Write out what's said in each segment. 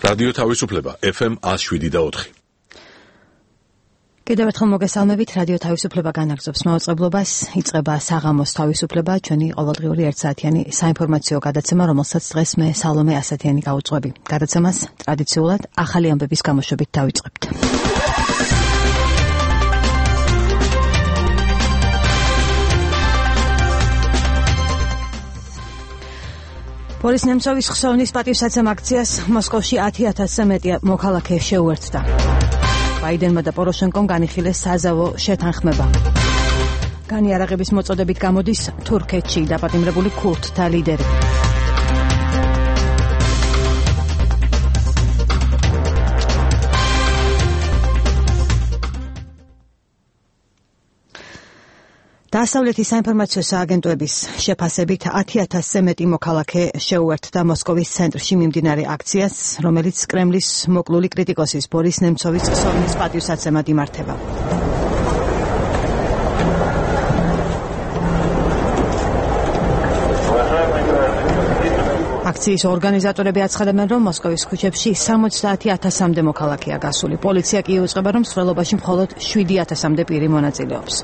რადიო თავისუფლება FM 107.4. კიდევ ერთხელ მოგესალმებით, რადიო თავისუფლება განაგრძობს მაუწყებლობას, იწყება საღამოს თავისუფლება, ჩვენი ყოველდღიური ერთსაათიანი საინფორმაციო გადაცემა, რომელსაც დღეს მე სალომე ასათიანი გავუძღვები. გადაცემას ტრადიციულად ახალი ამბების გამოშვებით დავიწყებთ. ბორის ნემცოვის ხსოვნის პატივსაცემ აქციას მოსკოვში 10,000-ზე მეტი მოქალაქე შეუერთდა. ბაიდენმა და პოროშენკომ განიხილეს საზავო შეთანხმება. განიარაღების მოწოდებით გამოდის თურქეთში დაპატიმრებული ქურთთა ლიდერი. დასავლეთის საინფორმაციო სააგენტოების შეფასებით 10,000-ზე მეტი მოქალაქე შეუერთდა მოსკოვის ცენტრში მიმდინარე აქციას, რომელიც კრემლის მოკლული კრიტიკოსის ბორის ნემცოვის ხსოვნის პატივსაცემად იმართება. აქციის ორგანიზატორები აცხადებენ, რომ მოსკოვის ქუჩებში 70,000-მდე მოქალაქეა გასული. პოლიცია კი იუწყება, რომ მსვლელობაში მხოლოდ 7,000-მდე პირი მონაწილეობს.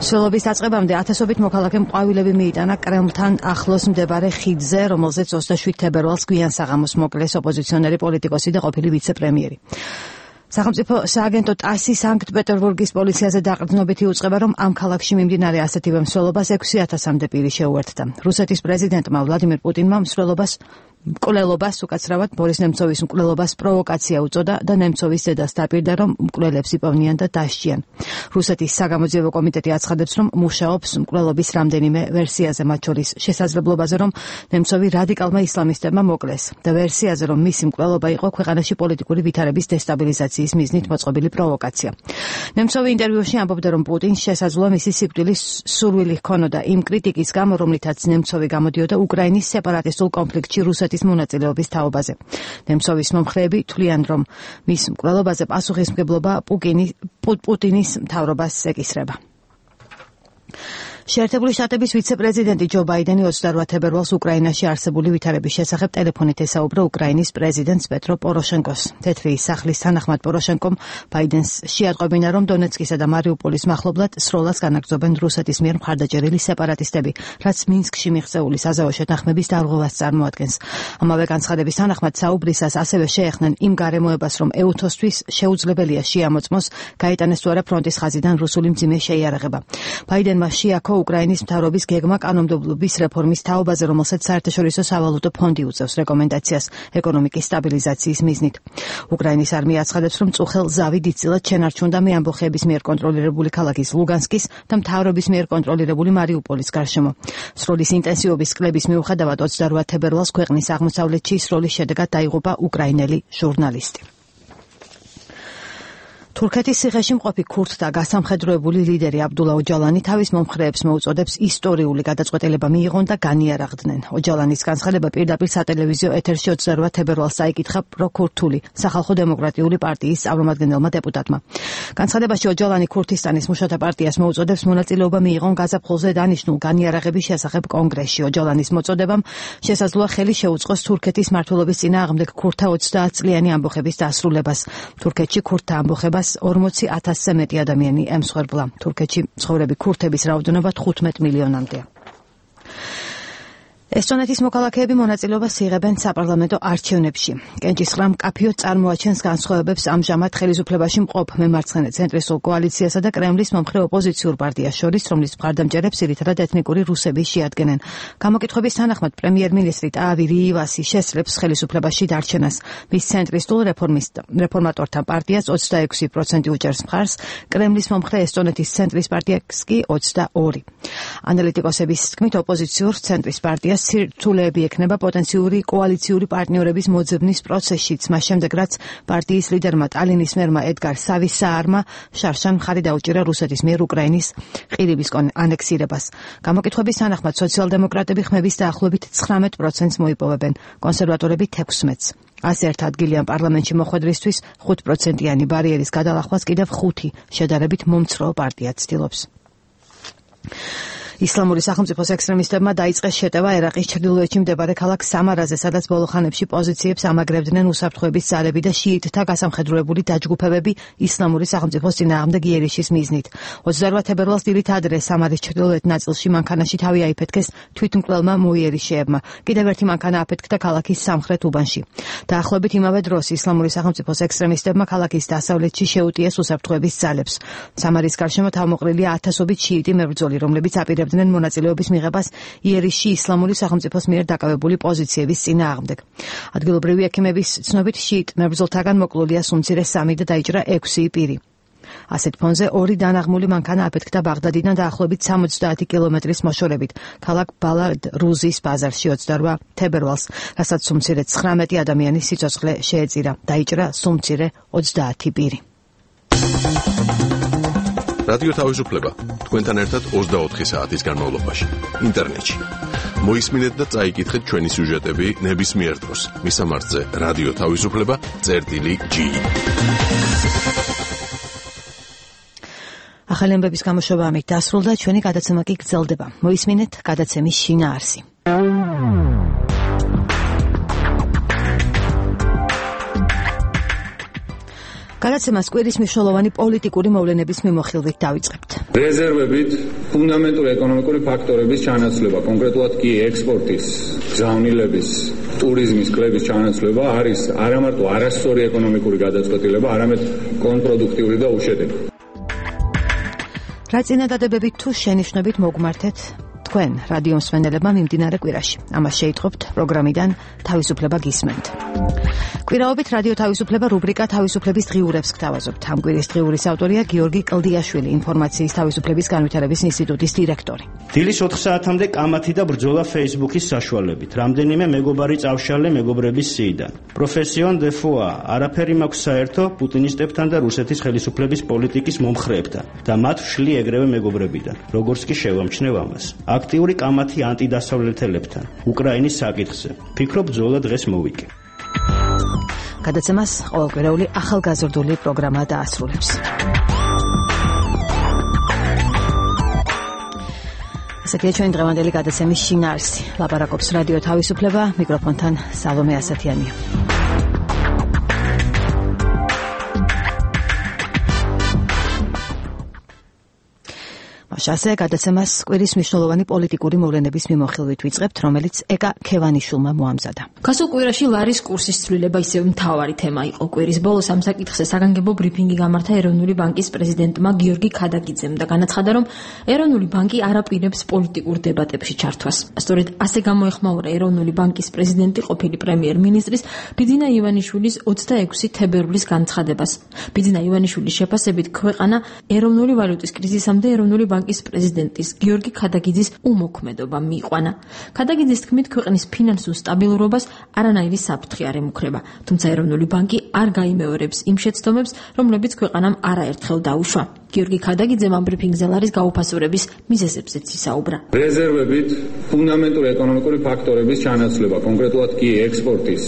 მსვლელობის დაწყებამდე ათასობით მოქალაქემ ყვავილები მიიტანა კრემლთან ახლოს მდებარე ხიდზე, რომელზეც 27 თებერვალს გვიან საღამოს მოკლეს ოპოზიციონერი პოლიტიკოსი და ყოფილი ვიცე-პრემიერი. სახელმწიფო სააგენტო ტასი სანქტ-პეტერბურგის პოლიციაზე დაყრდნობით იუწყება, რომ ამ ქალაქში მიმდინარე ასეთივე მსვლელობას 6,000-მდე პირი შეუერთდა. რუსეთის პრეზიდენტმა ვლადიმირ პუტინმა მკვლელობას უკაცრავად ბორის ნემცოვის მკვლელობას პროვოკაცია უწოდა და ნემცოვის დედას დაპირდა, რომ მკვლელებს იპოვნიან და დასჯიან. რუსეთის საგამოძიებო კომიტეტი აცხადებს, რომ მუშაობს მკვლელობის რამდენიმე ვერსიაზე, მათ შორის შესაძლებლობაზე, რომ ნემცოვი რადიკალმა ისლამისტებმა მოკლეს და ვერსიაზე, რომ მისი მკვლელობა იყო ქვეყანაში პოლიტიკური ვითარების დესტაბილიზაციის მიზნით მოწყობილი პროვოკაცია. ნემცოვი ინტერვიუში ამბობდა, რომ პუტინს შესაძლოა მისი სიკვდილის სურვილი ჰქონოდა იმ კრიტიკის გამო, რომლითაც ნემცოვი გამოდიოდა უკრაინის სეპარატისტულ კონფლიქტში რუსეთის მონაწილეობის თაობაზე. ნემცოვის მომხრეები თვლიან, რომ მის მკვლელობაზე პასუხისმგებლობა პუტინის მთავრობას ეკისრება. შეერთებული შტატების ვიცე-პრეზიდენტი ჯო ბაიდენი 28 თებერვალს უკრაინაში არსებული ვითარების შესახებ ტელეფონით ესაუბრა უკრაინის პრეზიდენტს პეტრო პოროშენკოს. თეთრი სახლის თანახმად პოროშენკომ ბაიდენს შეატყობინა, რომ დონეცკისა და მარიუპოლის მახლობლად სროლას განაგრძობენ რუსეთის მიერ მხარდაჭერილი სეპარატისტები, რაც მინსკში მიღწეული საზავო შეთანხმების დარღვევას წარმოადგენს. ამავე განცხადების თანახმად საუბრისას ასევე შეეხნენ იმ გარემოებას, რომ ეუთოსთვის შეუძლებელია შეამოწმოს გაეტანეს თუ არა ფრონტის ხაზიდან რუსული მძიმე შეიარაღება. ბაიდენმა შეაქო უკრაინის მთავრობის გეგმა კანონმდებლობის რეფორმის თაობაზე, რომელსაც საერთაშორისო სავალუტო ფონდი უწევს რეკომენდაციას ეკონომიკის სტაბილიზაციის მიზნით. უკრაინის არმია აცხადებს, რომ წუხელ ზავი დიდწილად შენარჩუნდა მეამბოხეების მიერ კონტროლირებული ქალაქის ლუგანსკის და მთავრობის მიერ კონტროლირებული მარიუპოლის გარშემო. სროლის ინტენსივობის კლების მიუხედავად 28 თებერვალს ქვეყნის აღმოსავლეთში სროლის შედეგად დაიღუპა უკრაინელი ჟურნალისტი. თურქეთის ციხეში მყოფი ქურთთა გასამხედროებული ლიდერი აბდულა ოჯალანი თავის მომხრეებს მოუწოდებს ისტორიული გადაწყვეტილება მიიღონ და განიარაღდნენ. ოჯალანის განცხადება პირდაპირ სატელევიზიო ეთერში 28 თებერვალს წაიკითხა პროქურთული სახალხო დემოკრატიული პარტიის წარმომადგენელმა დეპუტატმა. განცხადებაში ოჯალანი ქურთისტანის მუშათა პარტიას მოუწოდებს მონაწილეობა მიიღონ გაზაფხულზე დანიშნულ განიარაღების შესახებ კონგრესში. ოჯალანის მოწოდებამ შესაძლოა ხელი შეუწყოს თურქეთის მმართველობის წინააღმდეგ ქურთთა 30 წლიანი ამბოხების დასრულებას. თურქეთში ქურთთა ამბოხებას 40,000-ზე მეტი ადამიანი ემსხვერპლა. თურქეთში მცხოვრები ქურთების რაოდენობა 15 მილიონამდეა. ესტონეთის მოქალაქეები მონაწილეობას იღებენ საპარლამენტო არჩევნებში. კენჭისყრა მკაფიო წარმოაჩენს განსხვავებებს ამჟამად ხელისუფლებაში მყოფ მემარცხენე ცენტრისტულ კოალიციასა და კრემლის მომხრე ოპოზიციურ პარტიას შორის, რომლის მხარდამჭერებს ძირითადად ეთნიკური რუსები შეადგენენ. გამოკითხვების თანახმად პრემიერ-მინისტრი ტაავი რივასი შესწრებს ხელისუფლებაში დარჩენას. მის ცენტრისტულ რეფორმატორთა პარტიას 26% უჭერს მხარს, კრემლის მომხრე ესტონეთის ცენტრის პარტიას კი 22%. ანალიტიკოსების თქმით, ოპოზიციურ ცენტრის პარტიას სირთულეები ექნება პოტენციური კოალიციური პარტნიორების მოძებნის პროცესშიც, მას შემდეგ რაც პარტიის ლიდერმა ტალინის მერმა ედგარ სავისაარმა შარშან მხარი დაუჭირა რუსეთის მიერ უკრაინის ყირიმის ანექსირებას. გამოკითხვების თანახმად სოციალ-დემოკრატები ხმების დაახლოებით 19%-ს მოიპოვებენ, კონსერვატორები 16%-ს. ასე ერთ ადგილიან პარლამენტში მოხვედრისთვის 5%-იანი ბარიერის გადალახვას კიდევ 5 შედარებით მომცრო პარტია ცდილობს. ისლამური სახელმწიფოს ექსტრემისტებმა დაიწყეს შეტევა ერაყის ჩრდილოეთში მდებარე ქალაქ სამარაზე, სადაც ბოლო ხანებში პოზიციებს ამაგრებდნენ უსაფრთხოების ძალები და შიიტთა გასამხედროებული დაჯგუფებები ისლამური სახელმწიფოს წინააღმდეგ იერიშის მიზნით. 28 თებერვალს დილით ადრე სამარის ჩრდილოეთ ნაწილში მანქანაში თავი აიფეთქეს თვითმკვლელმა მოიერიშეებმა. კიდევ ერთი მანქანა აფეთქდა ქალაქის სამხრეთ უბანში. დაახლოებით იმავე დროს ისლამური სახელმწიფოს ექსტრემისტებმა ქალაქის დასავლეთში შეუტიეს უსაფრთხოების ძალებს. სამარის გარშემო თავმოყრილია ათასობით შიიტი მებრძოლი, რომლებიც აპირებდნენ მონაწილეობის მიღებას იერიშში ისლამური სახელმწიფოს მიერ დაკავებული პოზიციების წინააღმდეგ. ადგილობრივი ექიმების ცნობით შიიტ მებრძოლთაგან მოკლულია სუმცირე 3 და დაიჭრა 6 პირი. ასეთ ფონზე ორი დანაღმული მანქანა აფეთქდა ბაღდადიდან დაახლოებით 70 კილომეტრის მოშორებით ქალაქ ბალად რუზის ბაზარში 28 თებერვალს, რასაც სუმცირე 19 ადამიანის სიცოცხლე შეეწირა. დაიჭრა სუმცირე 30 პირი. რადიო თავისუფლება თქვენთან ერთად 24 საათის განმავლობაში ინტერნეტში. მოისმინეთ და წაიკითხეთ ჩვენი სიუჟეტები ნებისმიერ დროს. მისამართზე რადიო თავისუფლება.gi. ახალი ამბების გამოშვება ამით დასრულდა, ჩვენი გადაცემა კი გრძელდება. მოისმინეთ გადაცემის შინაარსი. გადაცემას კვირის მნიშვნელოვანი პოლიტიკური მოვლენების მიმოხილვით დავიწყებთ. რეზერვებით ფუნდამენტური ეკონომიკური ფაქტორების ჩანაცვლება, კონკრეტულად კი ექსპორტის, გზავნილების, ტურიზმის, კლების ჩანაცვლება არის არამარტო არასწორი ეკონომიკური გადაწყვეტილება, არამედ კონტრპროდუქტიული და უშედეგი. რა წინადადებებით თუ შენიშვნებით მოგმართეთ თქვენ რადიო მსმენელებმა მიმდინარე კვირაში? ამას შეიტყობთ პროგრამიდან თავისუფლება გისმენთ. კვირაობით რადიო თავისუფლება რუბრიკა თავისუფლების დღიურებს გთავაზობთ. ამ კვირის დღიურის ავტორია გიორგი კლდიაშვილი, ინფორმაციის თავისუფლების განვითარების ინსტიტუტის დირექტორი. დილის 4 საათამდე კამათი და ბრძოლა Facebook-ის საშუალებით. რამდენიმე მეგობარი წავშალე მეგობრების სიიდან. პროფესიონ დე ფუა, არაფერი მაქვს საერთო პუტინისტებთან და რუსეთის ხელისუფლების პოლიტიკის მომხრეებთან და მათ ვშლი ეგრევე მეგობრებიდან. როგორც კი შევამჩნევ ამას. აქტიური კამათი ანტიდასავლეთელებთან უკრაინის საკითხზე. ფიქრობ ბრძოლა დღეს მოვიკე. გადაცემას ყოველკვირეული ახალგაზრდული პროგრამა დაასრულებს. ასეთია ჩვენი დღევანდელი გადაცემის შინაარსი. ლაპარაკობს რადიო თავისუფლება, მიკროფონთან სალომე ასათიანია. ასე გადაცემას კვირის მნიშვნელოვანი პოლიტიკური მოვლენების მიმოხილვით ვიწყებთ, რომელიც ეკა ქევანიშვილმა მოამზადა. გასულ კვირაში ლარის კურსის ცვლილება ისევ მთავარი თემა იყო. კვირის ბოლოს ამ საკითხზე საგანგებო ბრიფინგი გამართა ეროვნული ბანკის პრეზიდენტმა გიორგი ქადაგიძემ და განაცხადა, რომ ეროვნული ბანკი არ აპირებს პოლიტიკურ დებატებში ჩართვას. სწორედ ასე გამოეხმაურა ეროვნული ბანკის პრეზიდენტი ყოფილი პრემიერ-მინისტრის ბიძინა ივანიშვილის 26 თებერვლის განცხადებას. ბიძინა ივანიშვილის შეფასებით ქვეყანა ეროვნული ვალუტის კრიზისამდე ეროვნული ბანკის პრეზიდენტის გიორგი ქადაგიძის უმოქმედობა მიიყვანა. ქადაგიძის თქმით, ქვეყნის ფინანსურ სტაბილურობას არანაირი საფრთხე არ ემუქრება, თუმცა ეროვნული ბანკი არ გაიმეორებს იმ შეცდომებს, რომლებიც ქვეყანამ არაერთხელ დაუშვა. გიორგი ქადაგიძემ ამ ბრიფინგზე ლარის გაუფასურების მიზეზებზეც ისაუბრა. რეზერვებით ფუნდამენტური ეკონომიკური ფაქტორების ჩანაცვლება, კონკრეტულად კი ექსპორტის,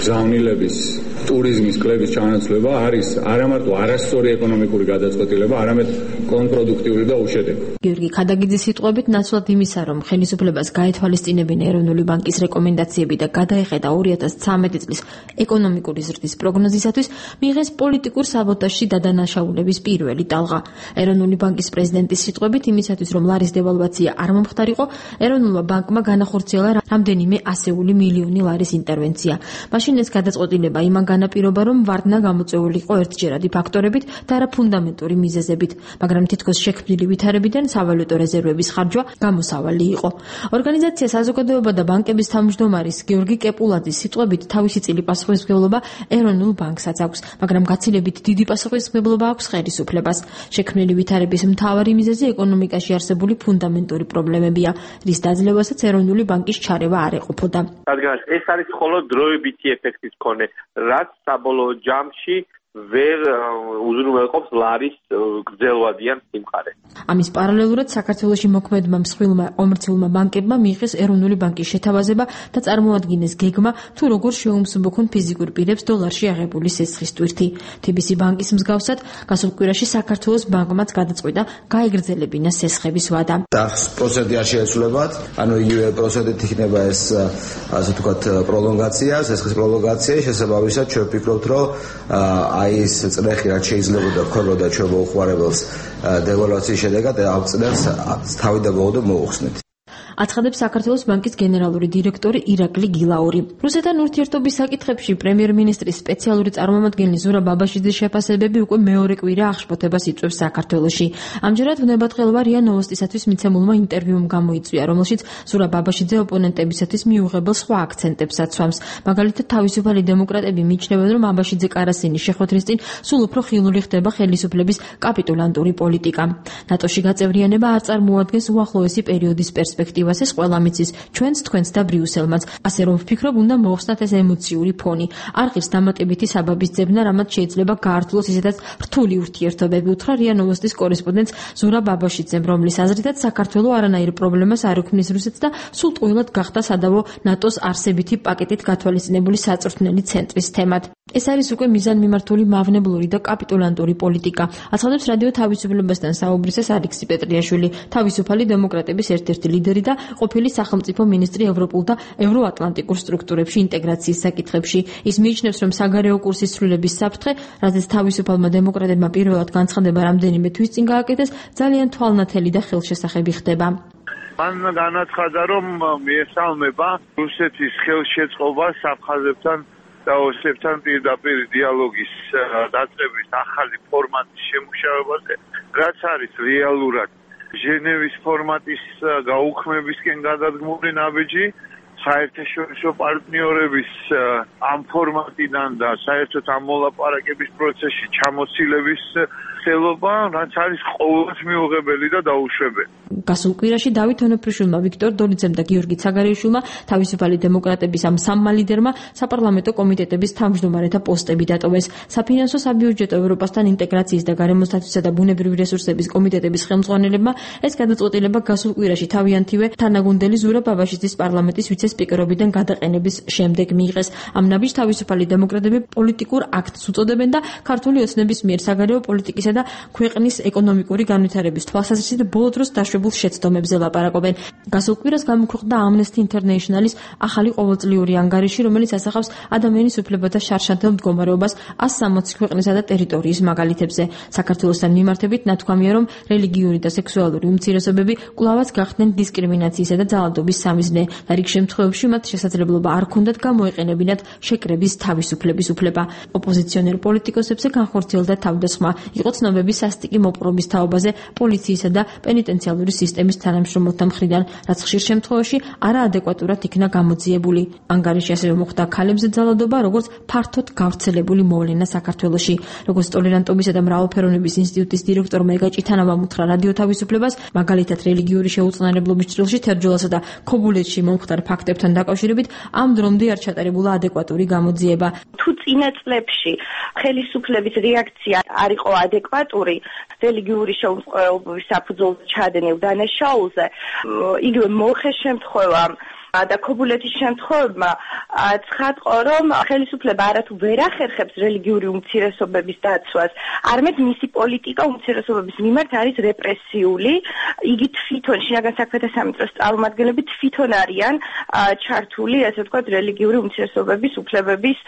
გზავნილების, ტურიზმის, კლების ჩანაცვლება არის არამარტო არასწორი ეკონომიკური გადაწყვეტილება, არამედ კონტრპროდუქტიული და უშედეგი. გიორგი ქადაგიძის სიტყვებით ნაცვლად იმისა, რომ ხელისუფლებას გაეთვალისწინებინა ეროვნული ბანკის რეკომენდაციები და გადაეხედა 2013 წლის ეკონომიკური ზრდის პროგნოზისათვის, მიიღეს პოლიტიკურ საბოტაჟში დადანაშაულების პირველი ტალღა. ეროვნული ბანკის პრეზიდენტის სიტყვებით იმისათვის, რომ ლარის დევალვაცია არ მომხდარიყო, ეროვნულმა ბანკმა განახორციელა რამდენიმე ასეული მილიონი ლარის ინტერვენცია. მაშინ ეს გადაწყვეტილება იმან განაპირობა, რომ ვარდნა გამოწვეულიყო ერთჯერადი ფაქტორებით და არა ფუნდამენტური მიზეზებით, მაგრამ თითქოს შექმნილი ვითარებიდან სავალუტო რეზერვების ხარჯვა გამოსავალი იყო. ორგანიზაცია საზოგადოება და ბანკების თავმჯდომარის გიორგი კეპულაძის სიტყვებით, თავისი წილი პასუხისმგებლობა ეროვნულ ბანკსაც აქვს, მაგრამ გაცილებით დიდი პასუხისმგებლობა აქვს ხელისუფლებას. შექმნილი ვითარების მთავარი მიზეზი ეკონომიკაში არსებული ფუნდამენტური პრობლემებია, რის დაძლევასაც ეროვნული ბანკის ჩარევა არ ეყოფოდა. რადგან ეს არის მხოლოდ დროებითი ეფექტის მქონე, რაც საბოლოო ჯამში ვერ უზრუნველყოფს ლარის გრძელვადიან სიმყარე. ამის პარალელურად საქართველოში მოქმედმა მსხვილმა კომერციულმა ბანკებმა მიიღეს ეროვნული ბანკის შეთავაზება და წარმოადგინეს გეგმა თუ როგორ შეუმსუბუქონ ფიზიკურ პირებს დოლარში აღებული სესხის ტვირთი. TBC ბანკის მსგავსად გასულ კვირაში საქართველოს ბანკმაც გადაწყვიტა გაეგრძელებინა სესხების ვადა. პროცენტი არ შეეცვლებათ, ანუ იგივე პროცენტით იქნება ეს ასე ვთქვათ პროლონგაცია, სესხის პროლონგაცია, შესაბამისად ჩვენ ვფიქრობთ, რომ აი ეს წრეხი რაც შეიძლება ვქონოდა ჩვენ მოუხმარებელს დევალვაციის შედეგად ამ წრეხს თავი და ბოლო მოუხსნით. აცხადებს საქართველოს ბანკის გენერალური დირექტორი ირაკლი გილაური. რუსეთთან ურთიერთობის საკითხებში პრემიერ-მინისტრის სპეციალური წარმომადგენელი ზურაბ ბაბაშიძის შეფასებები უკვე მეორე კვირა აღშფოთებას იწვევს საქართველოში. ამჯერად ვნებათყელვა რია ნოვოსტისათვის მიცემულმა ინტერვიუმ გამოიწვია, რომელშიც ზურაბ ბაბაშიძე ოპონენტებისათვის მიუღებელ სხვა აქცენტებს აცვამს. მაგალითად, თავისუფალი დემოკრატები მიიჩნევენ, რომ ბაბაშიძე კარასინის შეხვედრის წინ სულ უფრო ხილული ხდება ხელისუფლების კაპიტულანტური პოლიტიკა. ნატოში გაწევრიანება არ წარმოადგენს უახლოესი პერიოდის პერსპექტივას. ეს ყველა მიცის ჩვენს, თქვენს და ბრიუსელმაც. ასე რომ ვფიქრობ, უნდა მოხსნათ ეს ემოციური ფონი. არ ღირს დამატებითი საბაბის ძებნა, რამაც შეიძლება გაართულოს ისედაც რთული ურთიერთობები, უთხრა რია ნოვოსტის კორესპონდენტს ზურაბ ბაბაშიძემ, რომლის აზრითაც საქართველო არანაირ პრობლემას არ ექმნის რუსეთს და სულ ტყუილად გახდა სადავო ნატოს არსებითი პაკეტით გათვალისწინებული საწვრთნელი ცენტრის თემად. ეს არის უკვე მიზანმიმართული მავნებლური და კაპიტულანტური პოლიტიკა. აცხადებს რადიო თავისუფლებასთან საუბრისას ალექსი პეტრიაშვილი, თავისუფალი დემოკრატების ერთ-ერთი ლიდერი და ყოფილი სახელმწიფო მინისტრი ევროპულ და ევროატლანტიკურ სტრუქტურებში ინტეგრაციის საკითხებში. ის მიიჩნევს, რომ საგარეო კურსის ცვლილების საფრთხე, რაზეც თავისუფალმა დემოკრატებმა პირველად განცხადება რამდენიმე თვის წინ გააკეთეს, ძალიან თვალნათელი და ხელშესახები ხდება. მან განაცხადა, რომ მიესალმება რუსეთის ხელშეწყობას აფხაზებთან და ოსებთან პირდაპირ დიალოგის დაწყების ახალი ფორმატის შემუშავებაზე, რაც არის რეალურად ჟენევის ფორმატის გაუქმებისკენ გადადგმული ნაბიჯი, საერთაშორისო პარტნიორების ამ ფორმატიდან და საერთოდ ამ მოლაპარაკების პროცესში ჩამოცილების ხელობა, რაც არის ყოველთვის მიუღებელი და დაუშვებელი. გასულ კვირაში დავით ონოფრიშვილმა, ვიქტორ დოლიძემ და გიორგი ცაგარეიშვილმა თავისუფალი დემოკრატების ამ სამმა ლიდერმა საპარლამენტო კომიტეტების თავმჯდომარეთა პოსტები დატოვეს. საფინანსო საბიუჯეტო ევროპასთან ინტეგრაციის და გარემოსდაცვისა და ბუნებრივი რესურსების კომიტეტების ხელმძღვანელებმა ეს გადაწყვეტილება გასულ კვირაში თავიანთივე თანაგუნდელი ზურაბ ბაბაშიძის პარლამენტის ვიცე-სპიკერობიდან გადაყენების შემდეგ მიიღეს. ამ ნაბიჯს თავისუფალი დემოკრატები პოლიტიკურ აქტს უწოდებენ და ქართული ოცნების მიერ საგარეო პოლიტიკისა და ქვეყნის ეკონომიკური განვითარების თვალსაზრისით ბოლო დროს დაშვებულ შეცდომებზე ლაპარაკობენ. გასულ კვირას გამოქვეყნდა Amnesty International-ის ახალი ყოველწლიური ანგარიში, რომელიც ასახავს ადამიანის უფლებათა შარშანთელ მდგომარეობას 160 ქვეყნისა და ტერიტორიის მაგალითებზე. საქართველოსთან მიმართებით ნათქვამია, რომ რელიგიური და სექსუალური უმცირესობები კვლავაც გახდნენ დისკრიმინაციისა და ძალადობის სამიზნე და რიგ შემთხვევებში მათ შესაძლებლობა არ ჰქონდათ გამოეყენებინათ შეკრების თავისუფლების უფლება. ოპოზიციონერ პოლიტიკოსებზე განხორციელდა თავდასხმა. იყო ცნობები სასტიკი მოპყრობის თაობაზე პოლიციისა და პენიტენციალური სისტემის თანამშრომელთა მხრიდან, რაც ხშირ შემთხვევაში არაადეკვატურად იქნა გამოძიებული. ანგარიში ასევე მოხდა ქალებზე ძალადობა, როგორც ფართოდ გავრცელებული მოვლენა საქართველოში. როგორც ტოლერანტობისა და მრავალფეროვნების ინსტიტუტის დირექტორმა ეგა ჭითანოვამ უთხრა რადიო თავისუფლებას, მაგალითად რელიგიური შეუწყნარებლობის ჭრილში თერჯოლასა და ქობულეთში მომხდარ ფაქტებთან დაკავშირებით ამ დრომდე არ ჩატარებულა ადეკვატური გამოძიება. თუ წინა წლებში ხელისუფლების რეაქცია არ იყო ადეკვატური რელიგიური შეუწყნარებლობის საფუძველზე ჩადენილ დანაშაულზე, იგივე მოხეს შემთხვევა და ქობულეთის შემთხვევებმა ცხადყო, რომ ხელისუფლება არათუ ვერ ახერხებს რელიგიური უმცირესობების დაცვას, არამედ მისი პოლიტიკა უმცირესობების მიმართ არის რეპრესიული. იგი თვითონ შინაგან საქმეთა სამინისტროს წარმომადგენლები თვითონ არიან ჩართული, ასე ვთქვათ, რელიგიური უმცირესობების უფლებების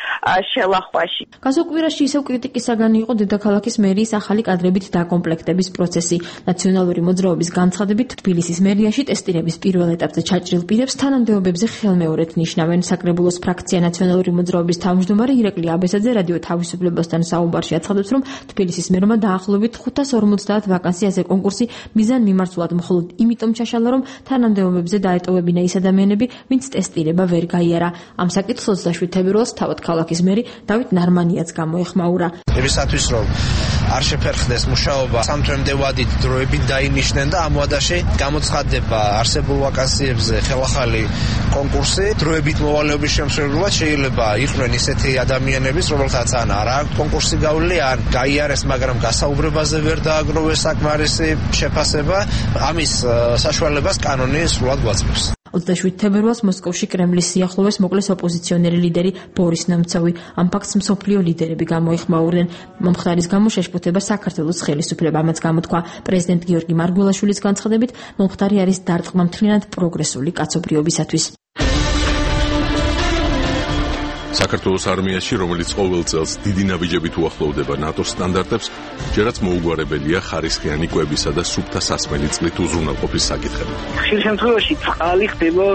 შელახვაში. გასულ კვირაში ისევ კრიტიკისაგანი იყო დედაქალაქის მერიის ახალი კადრებით დაკომპლექტების პროცესი. ნაციონალური მოძრაობის განცხადებით, თბილისის მერიაში ტესტირების პირველ ეტაპზე ჩაჭრილ პირებს თანამდებობებზე ხელმეორედ ნიშნავენ. საკრებულოს ფრაქცია ნაციონალური მოძრაობის თავმჯდომარე ირაკლი აბესაძე რადიო თავისუფლებასთან საუბარში აცხადებს, რომ თბილისის მერმა დაახლოებით 550 ვაკანსიაზე კონკურსი მიზანმიმართულად მხოლოდ იმიტომ ჩაშალა, რომ თანამდებობებზე დაეტოვებინა ის ადამიანები, ვინც ტესტირება ვერ გაიარა. ამ საკითხს 27 თებერვალს თავად ქალაქის მერი დავით ნარმანიაც გამოეხმაურა. იმისათვის, რომ არ შეფერხდეს მუშაობა, სამთვემდე ვადით დროებით დაინიშნენ და ამ ვადაში გამოცხადება არსებულ ვაკანსიებზე ხელახალი კონკურსი. დროებით მოვალეობის შემსრულებლად შეიძლება იყვნენ ისეთი ადამიანებიც, რომელთაც ან არ აქვთ კონკურსი გავლილი, ან გაიარეს, მაგრამ გასაუბრებაზე ვერ დააგროვეს საკმარისი შეფასება. ამის საშუალებას კანონი სრულად გვაწევს. 27 თებერვალს მოსკოვში კრემლის სიახლოვეს მოკლეს ოპოზიციონერი ლიდერი ბორის ნემცოვი. ამ ფაქტს მსოფლიო ლიდერები გამოიხმაურნენ. მომხდარის გამო შეშფოთება საქართველოს ხელისუფლება. ამაც გამოთქვა პრეზიდენტ გიორგი მარგველაშვილის განცხადებით, მომხდარი არის დარტყმა მთლიანად პროგრესული კაცობრიობისათვის. საქართველოს არმიაში, რომელიც ყოველ წელს დიდი ნაბიჯებით უახლოვდება ნატოს სტანდარტებს, ჯერაც მოუგვარებელია ხარისხიანი კვებისა და სუფთა სასმელი წყლით უზრუნველყოფის საკითხები. ხშირ შემთხვევაში წყალი ხდება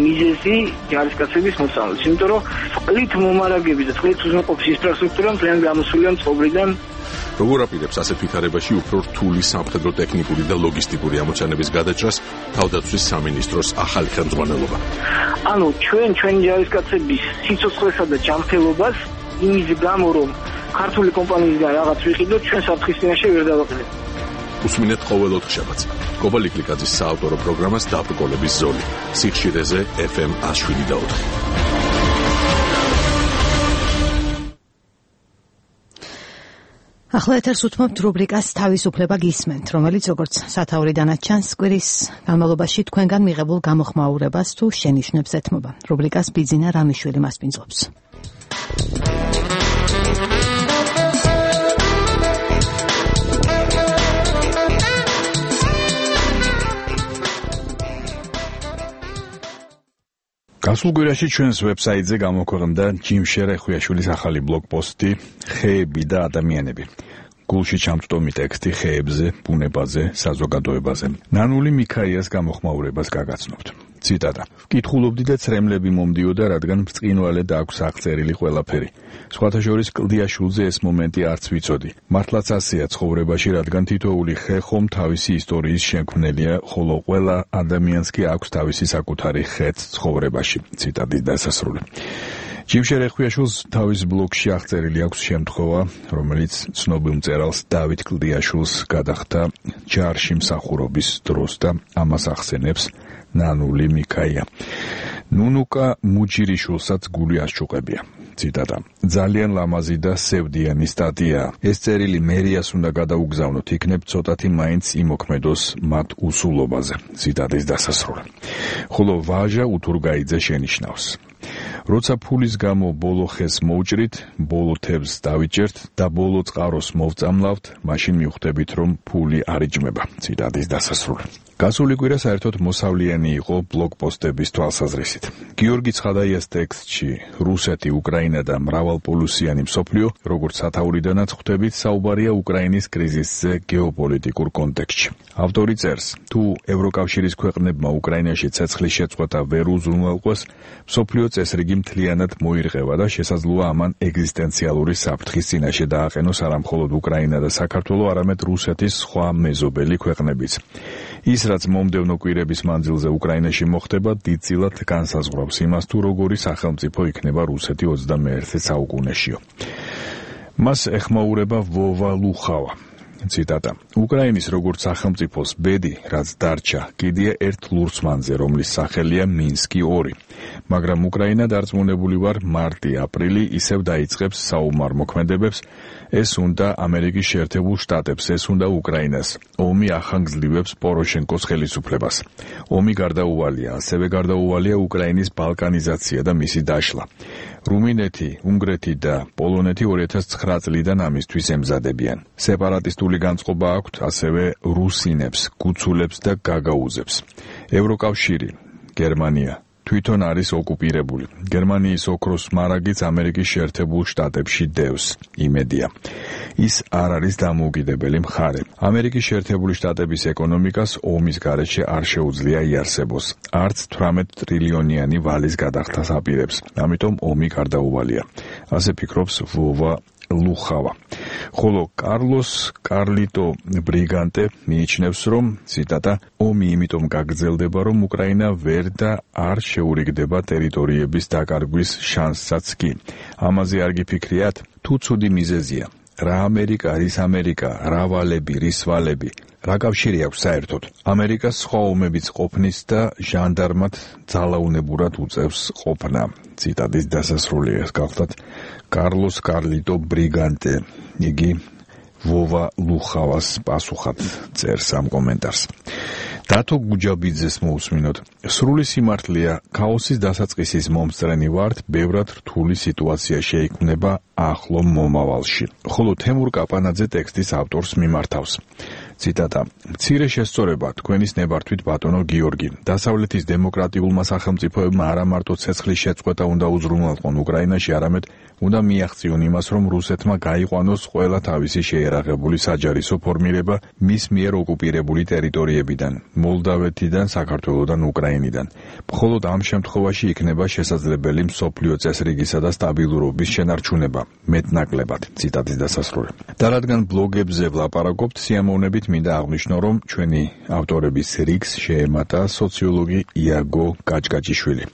მიზეზი ჯარისკაცების მოწამვლის, იმიტომ რომ წყლით მომარაგების და წყლით უზრუნველყოფის ინფრასტრუქტურა მთლიანად გამოსულია წყობრიდან. როგორ აპირებს ასეთ ვითარებაში უფრო რთული სამხედრო ტექნიკური და ლოგისტიკური ამოცანების გადაჭრას თავდაცვის სამინისტროს ახალი ხელმძღვანელობა? ანუ ჩვენი ჯარისკაცების სიცოცხლესა და ჯანმრთელობას იმის გამო, რომ ქართული კომპანიისგან რაღაც ვიყიდოთ, ჩვენ საფრთხის წინაშე ვერ დავაყენებთ. უსმინეთ ყოველ ოთხშაბათს. კობალი კლიკაძის საავტორო პროგრამას დაბრკოლების ზოლი. სიხშირეზე FM 107.4. ახლა ეთერს უთმობთ რუბრიკას თავისუფლება გისმენთ, რომელიც როგორც სათაურიდანაც ჩანს, კვირის განმავლობაში თქვენგან მიღებულ გამოხმაურებას თუ შენიშვნებს ეთმობა. რუბრიკას ბიძინა რამიშვილი მასპინძლობს. გასულ კვირაში ჩვენს ვებსაიტზე გამოქვეყნდა ჯიმშე რეხვიაშვილის ახალი ბლოგპოსტი ხეები და ადამიანები. გულში ჩამწვდომი ტექსტი ხეებზე, ბუნებაზე, საზოგადოებაზე. ნანული მიქაიას გამოხმაურებას გაგაცნობთ. ციტატა: ვკითხულობდი და ცრემლები მომდიოდა, რადგან ბრწყინვალედ აქვს აღწერილი ყველაფერი. სხვათა შორის კლდიაშვილზე ეს მომენტი არც ვიცოდი. მართლაც ასეა ცხოვრებაში, რადგან თითოეული ხე ხომ თავისი ისტორიის შემქმნელია, ხოლო ყველა ადამიანს კი აქვს თავისი საკუთარი ხეც ცხოვრებაში. ციტატის დასასრული. ჯიმშე რეხვიაშვილს თავის ბლოგში აღწერილი აქვს შემთხვევა, რომელიც ცნობილ მწერალს დავით კლდიაშვილს გადახდა ჯარში მსახურობის დროს და ამას ახსენებს ნანული მიქაია. ნუნუკა მუჯირიშვილსაც გული ასჭუყებია. ციტატა: ძალიან ლამაზი და სევდიანი სტატია. ეს წერილი მერიას უნდა გადაუგზავნოთ, იქნებ ცოტათი მაინც იმოქმედოს მათ უსულობაზე. ციტატის დასასრული. ხოლო ვაჟა უთურგაიძე შენიშნავს: როცა ფულის გამო ბოლო ხეს მოვჭრით, ბოლო თევზს დავიჭერთ და ბოლო წყაროს მოვწამლავთ, მაშინ მივხვდებით, რომ ფული არ იჭმება. ციტატის დასასრული. გასული კვირა საერთოდ მოსავლიანი იყო ბლოგპოსტების თვალსაზრისით. გიორგი ცხადაიას ტექსტში რუსეთი, უკრაინა და მრავალპოლუსიანი მსოფლიო, როგორც სათაურიდანაც ხვდებით, საუბარია უკრაინის კრიზისზე გეოპოლიტიკურ კონტექსტში. ავტორი წერს: თუ ევროკავშირის ქვეყნებმა უკრაინაში ცეცხლის შეწყვეტა ვერ უზრუნველყვეს, მსოფლიო წესრიგი მთლიანად მოირღევა და შესაძლოა ამან ეგზისტენციალური საფრთხის წინაშე დააყენოს არა მხოლოდ უკრაინა და საქართველო, არამედ რუსეთის სხვა მეზობელი ქვეყნებიც. ის, რაც მომდევნო კვირების მანძილზე უკრაინაში მოხდება, დიდწილად განსაზღვრავს იმას, თუ როგორი სახელმწიფო იქნება რუსეთი 21 საუკუნეშიო. მას ეხმაურება ვოვა ლუხავა. ციტატა: უკრაინის როგორც სახელმწიფოს ბედი, რაც დარჩა, კიდია ერთ ლურსმანზე, რომლის სახელია მინსკი 2. მაგრამ უკრაინა დარწმუნებული ვარ, მარტი-აპრილი ისევ დაიწყებს საომარ მოქმედებებს. ეს უნდა ამერიკის შეერთებულ შტატებს, ეს უნდა უკრაინას. ომი ახანგრძლივებს პოროშენკოს ხელისუფლებას. ომი გარდაუვალია, ასევე გარდაუვალია უკრაინის ბალკანიზაცია და მისი დაშლა. რუმინეთი, უნგრეთი და პოლონეთი 2009 წლიდან ამისთვის ემზადებიან. სეპარატისტული განწყობა აქვთ ასევე რუსინებს, გუცულებს და გაგაუზებს. ევროკავშირი, გერმანია თვითონ არის ოკუპირებული. გერმანიის ოქროს მარაგიც ამერიკის შეერთებულ შტატებში დევს. იმედია. ის არ არის დამოუკიდებელი მხარე. ამერიკის შეერთებული შტატების ეკონომიკას ომის გარეშე არ შეუძლია იარსებოს. არც 18 ტრილიონიანი ვალის გადახდას აპირებს. ამიტომ ომი გარდაუვალია. ასე ფიქრობს ვოვა ლუხავა. ხოლო კარლოს კარლიტო ბრიგანტე მიიჩნევს, რომ ციტატა: ომი იმიტომ გაგრძელდება, რომ უკრაინა ვერ და არ შეურიგდება ტერიტორიების დაკარგვის შანსსაც კი. ამაზე არ გიფიქრიათ? თუ ცუდი მიზეზია. რა ამერიკა, რის ამერიკა, რა ვალები, რის ვალები. რა კავშირი აქვს საერთოდ ამერიკას სხვა ომებიც ყოფნის და ჟანდარმად ძალაუნებურად უწევს ყოფნა? ციტატის დასასრულია გახლდათ კარლოს კარლიტო ბრიგანტე. იგი ვოვა ლუხავას პასუხად წერს ამ კომენტარს. დათო გუჯაბიძეს მოусმინოთ. სრული სიმართლეა, ქაოსის დასაწყისის მომსწრენი ვართ, ბევრად რთული სიტუაცია შეიქმნება ახლო მომავალში. ხოლო თემურ კაპანაძე ტექსტის ავტორს მიმართავს. ციტატა: მცირე შესწორება თქვენის ნებართვით ბატონო გიორგი. დასავლეთის დემოკრატიულმა სახელმწიფოებმა არა მარტო ცეცხლის შეწყვეტა უნდა უზრუნველყონ უკრაინაში, არამედ უნდა მიაღწიონ იმას, რომ რუსეთმა გაიყვანოს ყველა თავისი შეერაღებული საჯარისო ფორმირება მის მიერ ოკუპირებული ტერიტორიებიდან, მოლდავეთიდან, საქართველოდან, უკრაინიდან. მხოლოდ ამ შემთხვევაში იქნება შესაძლებელი მსოფლიო წესრიგისა და სტაბილურობის შენარჩუნება, მეტნაკლებად. ციტატის დასასრული. და რადგან ბლოგებზე ვლაპარაკობთ, სიამოვნებით მინდა აღნიშნო, რომ ჩვენი ავტორების რიგს შეემატა სოციოლოგი იაგო გაჭგაჭიშვილი.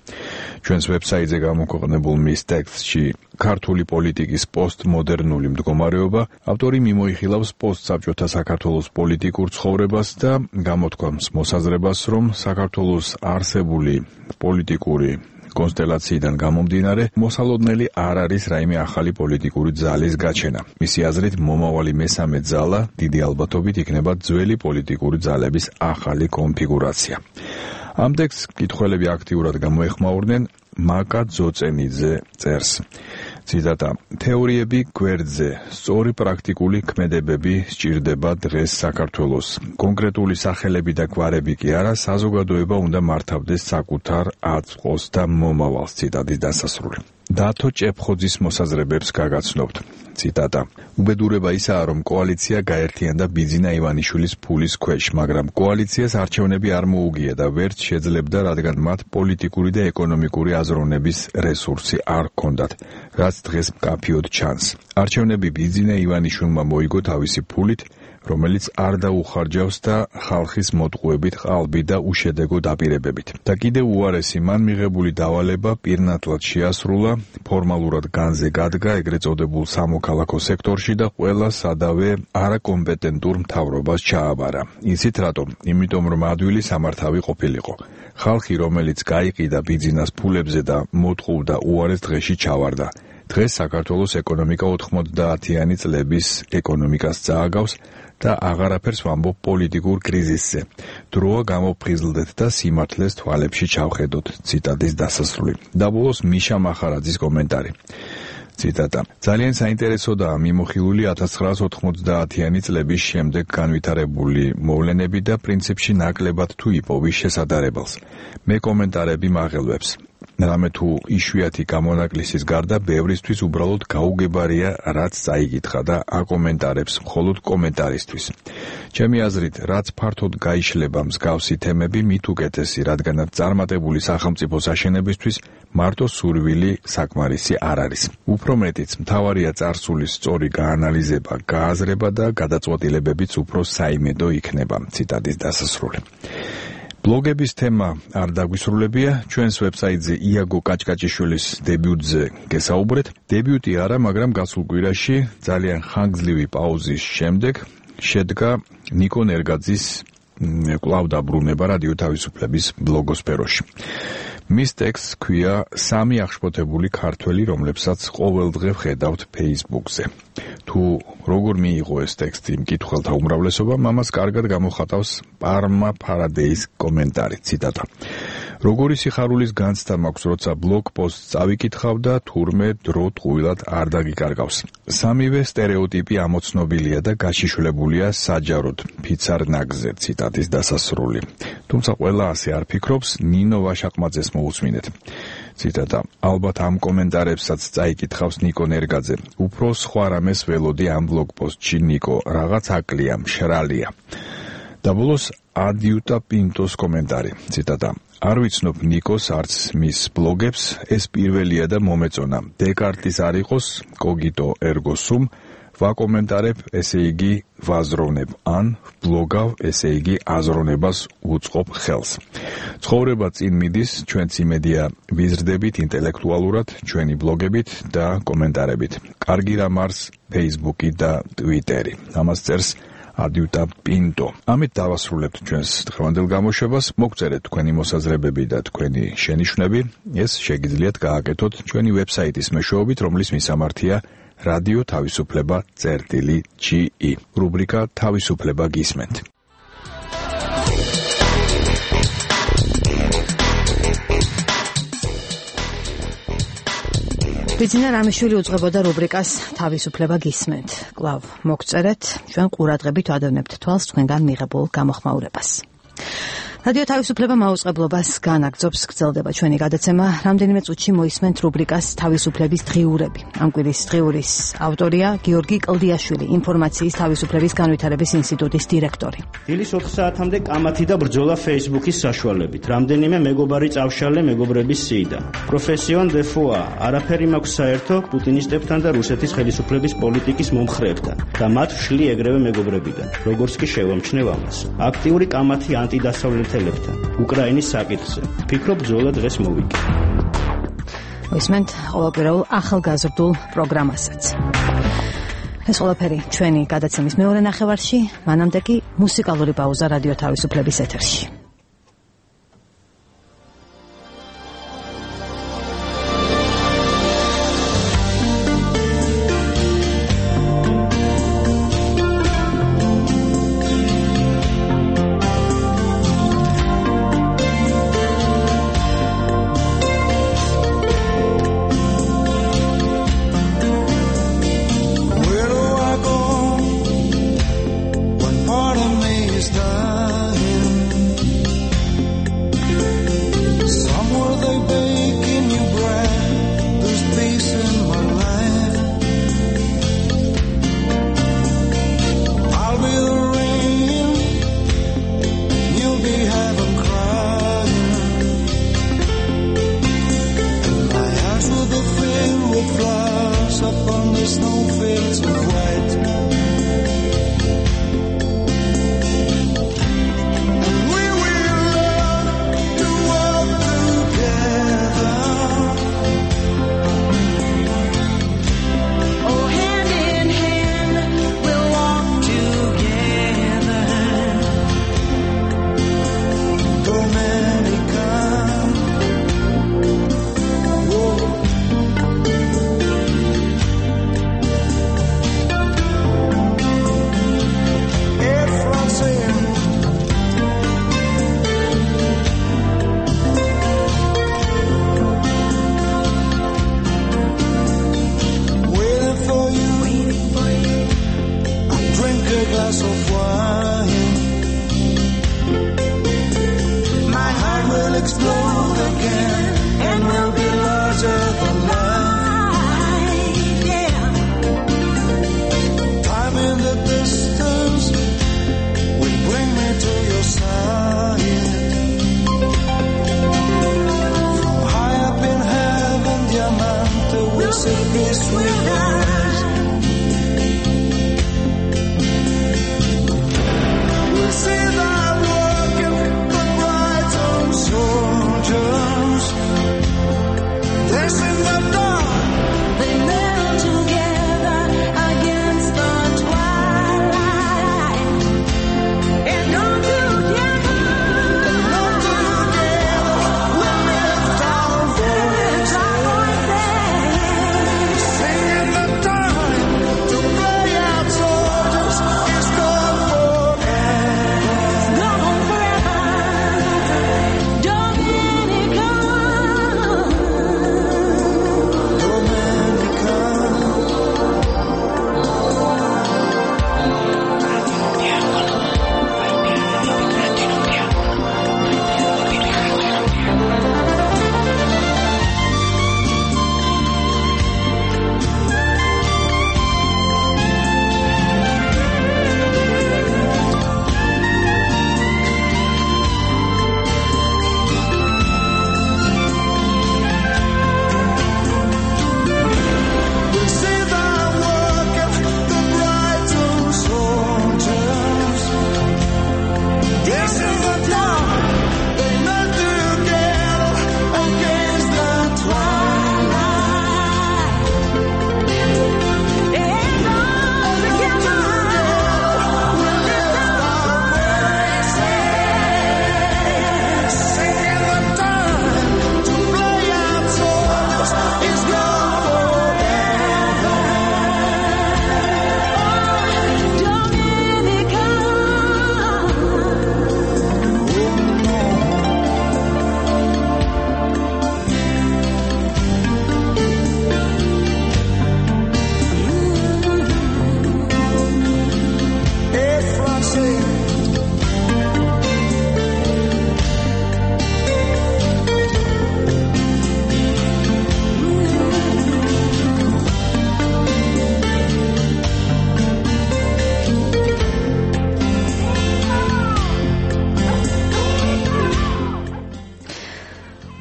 ჩვენს ვებსაიტზე გამოქვეყნებულ მის ტექსტში ქართული პოლიტიკის პოსტმოდერნული მდგომარეობა ავტორი მიმოიხილავს პოსტსაბჭოთა საქართველოს პოლიტიკურ ცხოვრებას და გამოთქვამს მოსაზრებას, რომ საქართველოს არსებული პოლიტიკური კონსტელაციიდან გამომდინარე, მოსალოდნელი არ არის რაიმე ახალი პოლიტიკური ძალის გაჩენა. მისი აზრით, მომავალი მესამე ძალა დიდი ალბათობით იქნება ძველი პოლიტიკური ძალების ახალი კონფიგურაცია. ამ ტექსტს მკითხველები აქტიურად გამოეხმაურნენ. მაკა ძოწენიძე წერს. ციტატა: თეორიები გვერდზე, სწორი პრაქტიკული ქმედებები სჭირდება დღეს საქართველოს. კონკრეტული სახელები და გვარები კი არა, საზოგადოება უნდა მართავდეს საკუთარ აწმყოს და მომავალს. ციტატის დასასრული. დათო ჭეფხოძის მოსაზრებებს გაგაცნობთ. ციტატა: უბედურება ისაა, რომ კოალიცია გაერთიანდა ბიძინა ივანიშვილის ფულის ქვეშ, მაგრამ კოალიციას არჩევნები არ მოუგია და ვერც შეძლებდა, რადგან მათ პოლიტიკური და ეკონომიკური აზროვნების რესურსი არ ჰქონდათ, რაც დღეს მკაფიოდ ჩანს. არჩევნები ბიძინა ივანიშვილმა მოიგო თავისი ფულით, რომელიც არ დაუხარჯავს და ხალხის მოტყუებით ყალბი და უშედეგო დაპირებებით. და კიდევ უარესი, მან მიღებული დავალება პირნათლად შეასრულა, ფორმალურად განზე გადგა ეგრეთ წოდებულ სამოქალაქო სექტორში და ყველა სადავე არაკომპეტენტურ მთავრობას ჩააბარა. იცით რატომ? იმიტომ რომ ადვილი სამართავი ყოფილიყო. ხალხი, რომელიც გაიყიდა ბიძინას ფულებზე და მოტყუდა, უარეს დღეში ჩავარდა. დღეს საქართველოს ეკონომიკა 90-იანი წლების ეკონომიკას წააგავს და აღარაფერს ვამბობ პოლიტიკურ კრიზისზე. დროა გამოფხიზლდეთ და სიმართლეს თვალებში ჩავხედოთ. ციტატის დასასრული. და ბოლოს მიშა მახარაძის კომენტარი. ციტატა: ძალიან საინტერესოდაა მიმოხილული 1990-იანი წლების შემდეგ განვითარებული მოვლენები და პრინციპში ნაკლებად თუ იპოვის შესადარებელს. მე კომენტარები მაღელვებს. რამე თუ იშვიათი გამონაკლისის გარდა ბევრისთვის უბრალოდ გაუგებარია, რაც წაიკითხა და აკომენტარებს მხოლოდ კომენტარისთვის. ჩემი აზრით, რაც ფართოდ გაიშლება მსგავსი თემები, მით უკეთესი, რადგანაც წარმატებული სახელმწიფოს აშენებისთვის მარტო სურვილი საკმარისი არ არის. უფრო მეტიც, მთავარია წარსულის სწორი გაანალიზება, გააზრება და გადაწყვეტილებებიც უფრო საიმედო იქნება. ციტატის დასასრული. ბლოგების თემა არ დაგვისრულებია, ჩვენს ვებსაიტზე იაგო გაჭგაჭიშვილის დებიუტზე გესაუბრეთ. დებიუტი არა, მაგრამ გასულ კვირაში ძალიან ხანგრძლივი პაუზის შემდეგ შედგა ნიკო ნერგაძის კვლავ დაბრუნება რადიო თავისუფლების ბლოგოსფეროში. მის ტექსტს ქვია სამი აღშფოთებული ქართველი, რომლებსაც ყოველდღე ვხედავთ Facebook-ზე. თუ როგორ მიიღო ეს ტექსტი მკითხველთა უმრავლესობამ, ამას კარგად გამოხატავს პარმა ფარადეის კომენტარი. ციტატა: როგორი სიხარულის განცდა მაქვს, როცა ბლოგ პოსტს წავიკითხავ და თურმე დრო ტყუილად არ დაგიკარგავს. სამივე სტერეოტიპი ამოცნობილია და გაშიშვლებულია საჯაროდ ფიცარ ნაგზე. ციტატის დასასრული. თუმცა ყველა ასე არ ფიქრობს, ნინო ვაშაყმაძეს მოусმინეთ. ციტატა: ალბათ ამ კომენტარებსაც წაიკითხავს ნიკო ნერგაძე. უფრო სხვა რამეს ველოდი ამ ბლოგ პოსტში ნიკო, რაღაც აკლია, მშრალია. და ბოლოს ადიუტა პინტოს კომენტარი. ციტატა: არ ვიცნობ ნიკოს არც მის ბლოგებს, ეს პირველია და მომეწონა. დეკარტის არ იყოს, კოგიტო ერგო სუმ, ვაკომენტარებ, ესე იგი ვაზროვნებ, ან ბლოგავ, ესე იგი აზროვნებას უწყობ ხელს. ცხოვრება წინ მიდის, ჩვენც იმედია ვიზრდებით ინტელექტუალურად, ჩვენი ბლოგებით და კომენტარებით. კარგი რამ არის Facebook-ი და Twitter-ი. ამას წერს ადიუტა პინტო. ამით დავასრულებთ ჩვენს დღევანდელ გამოშვებას. მოგწერეთ თქვენი მოსაზრებები და თქვენი შენიშვნები. ეს შეგიძლიათ გააკეთოთ ჩვენი ვებსაიტის მეშვეობით, რომლის მისამართია რადიო თავისუფლება.ge. რუბრიკა თავისუფლება გისმენთ. ბიძინა რამიშვილი უძღვებოდა რუბრიკას თავისუფლება გისმენთ. კვლავ მოგწერეთ, ჩვენ ყურადღებით ვადევნებთ თვალს თქვენგან მიღებულ გამოხმაურებას. რადიო თავისუფლება მაუწყებლობას განაგრძობს, გრძელდება ჩვენი გადაცემა. რამდენიმე წუთში მოისმენთ რუბრიკას თავისუფლების დღიურები. ამ კვირის დღიურის ავტორია გიორგი კლდიაშვილი, ინფორმაციის თავისუფლების განვითარების ინსტიტუტის დირექტორი. დილის 4 საათამდე კამათი და ბრძოლა Facebook-ის საშუალებით. რამდენიმე მეგობარი წავშალე მეგობრების სიიდან. პროფესიონ დე ფუა, არაფერი მაქვს საერთო პუტინისტებთან და რუსეთის ხელისუფლების პოლიტიკის მომხრეებთან და მათ ვშლი ეგრევე მეგობრებიდან. როგორც კი შევამჩნევ ამას. აქტიური კამათი ანტიდასავლეთ უკრაინის საკითხზე. ფიქრობ ბრძოლა დღეს მოვიგე. ისმენთ ყოველკვირეულ ახალგაზრდულ პროგრამასაც. ეს ყველაფერი ჩვენი გადაცემის მეორე ნახევარში, მანამდე კი მუსიკალური პაუზა რადიო თავისუფლების ეთერში. Part of me is dying.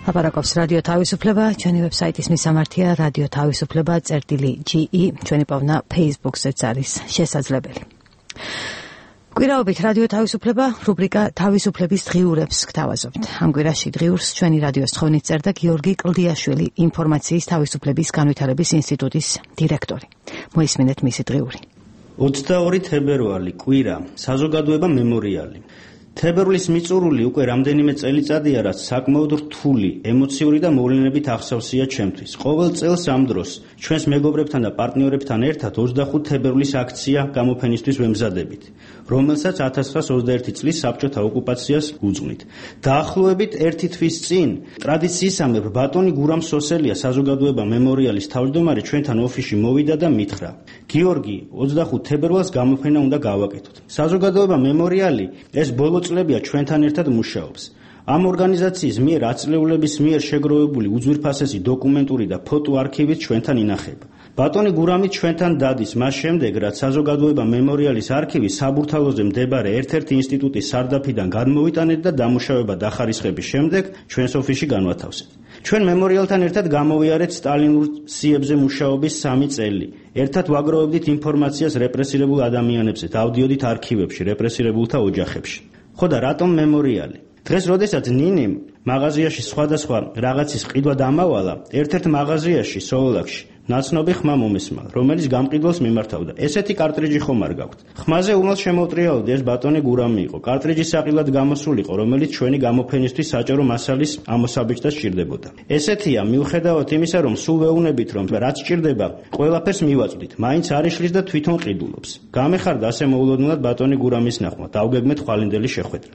ლაპარაკობს რადიო თავისუფლება, ჩვენი ვებსაიტის მისამართია radiotavisufleba.ge, ჩვენი პოვნა Facebook-ზეც არის შესაძლებელი. კვირაობით რადიო თავისუფლება რუბრიკა თავისუფლების დღიურებს გთავაზობთ. ამ კვირაში დღიურს ჩვენი რადიოს თხოვნით წერდა გიორგი კლდიაშვილი, ინფორმაციის თავისუფლების განვითარების ინსტიტუტის დირექტორი. მოისმინეთ მისი დღიური. 22 თებერვალი, კვირა, საზოგადოება მემორიალი. თებერვლის მიწურული უკვე რამდენიმე წელიწადია, რაც საკმაოდ რთული, ემოციური და მოვლენებით ახსავსია ჩემთვის. ყოველ წელს ამ დროს ჩვენს მეგობრებთან და პარტნიორებთან ერთად 25 თებერვლის აქცია გამოფენისთვის ვემზადებით, რომელსაც 1921 წლის საბჭოთა ოკუპაციას უძღვნით. დაახლოებით ერთი თვის წინ ტრადიციისამებრ ბატონი გურამ სოსელია, საზოგადოება მემორიალის თავმჯდომარე, ჩვენთან ოფისში მოვიდა და მითხრა: გიორგი, 25 თებერვალს გამოფენა უნდა გავაკეთოთ. საზოგადოება მემორიალი ეს ბოლო წლებია ჩვენთან ერთად მუშაობს. ამ ორგანიზაციის მიერ აწლეულების მიერ შეგროვებული უძვირფასესი დოკუმენტური და ფოტო არქივით ჩვენთან ინახება. ბატონი გურამი ჩვენთან დადის მას შემდეგ, რაც საზოგადოება მემორიალის არქივი საბურთალოზე მდებარე ერთ-ერთი ინსტიტუტის სარდაფიდან გადმოვიტანეთ და დამუშავება დახარისხების შემდეგ ჩვენს ოფისში განვათავსეთ. ჩვენ მემორიალთან ერთად გამოვიარეთ სტალინურ სიებზე მუშაობის 3 წელი. ერთად ვაგროვებდით ინფორმაციას რეპრესირებულ ადამიანებზე, დავდიოდით არქივებში, რეპრესირებულთა ოჯახებში. ხო და რატომ მემორიალი? დღეს, როდესაც ნინიმ მაღაზიაში სხვადასხვა რაღაცის ყიდვა დამავალა, ერთ-ერთ მაღაზიაში სოლოლაკში ნაცნობი ხმა მომესმა, რომელიც გამყიდველს მიმართავდა. ესეთი კარტრიჯი ხომ არ გაქვთ? ხმაზე უმალ შემოუტრიალდი ეს ბატონი გურამი იყო. კარტრიჯი საყილად გამოსულიყო, რომელიც ჩვენი გამოფენისთვის საჭირო მასალის ამოსაბჭდას სჭირდებოდა. ესეთია, მიუხედავად იმისა, რომ სულ ვეუბნებით, რომ რაც სჭირდება, ყველაფერს მივაწვდით, მაინც არ იშლის და თვითონ ყიდულობს. გამეხარდა ასე მოულოდნელად ბატონი გურამის ნახვა, დავგეგმეთ ხვალინდელი შეხვედრა.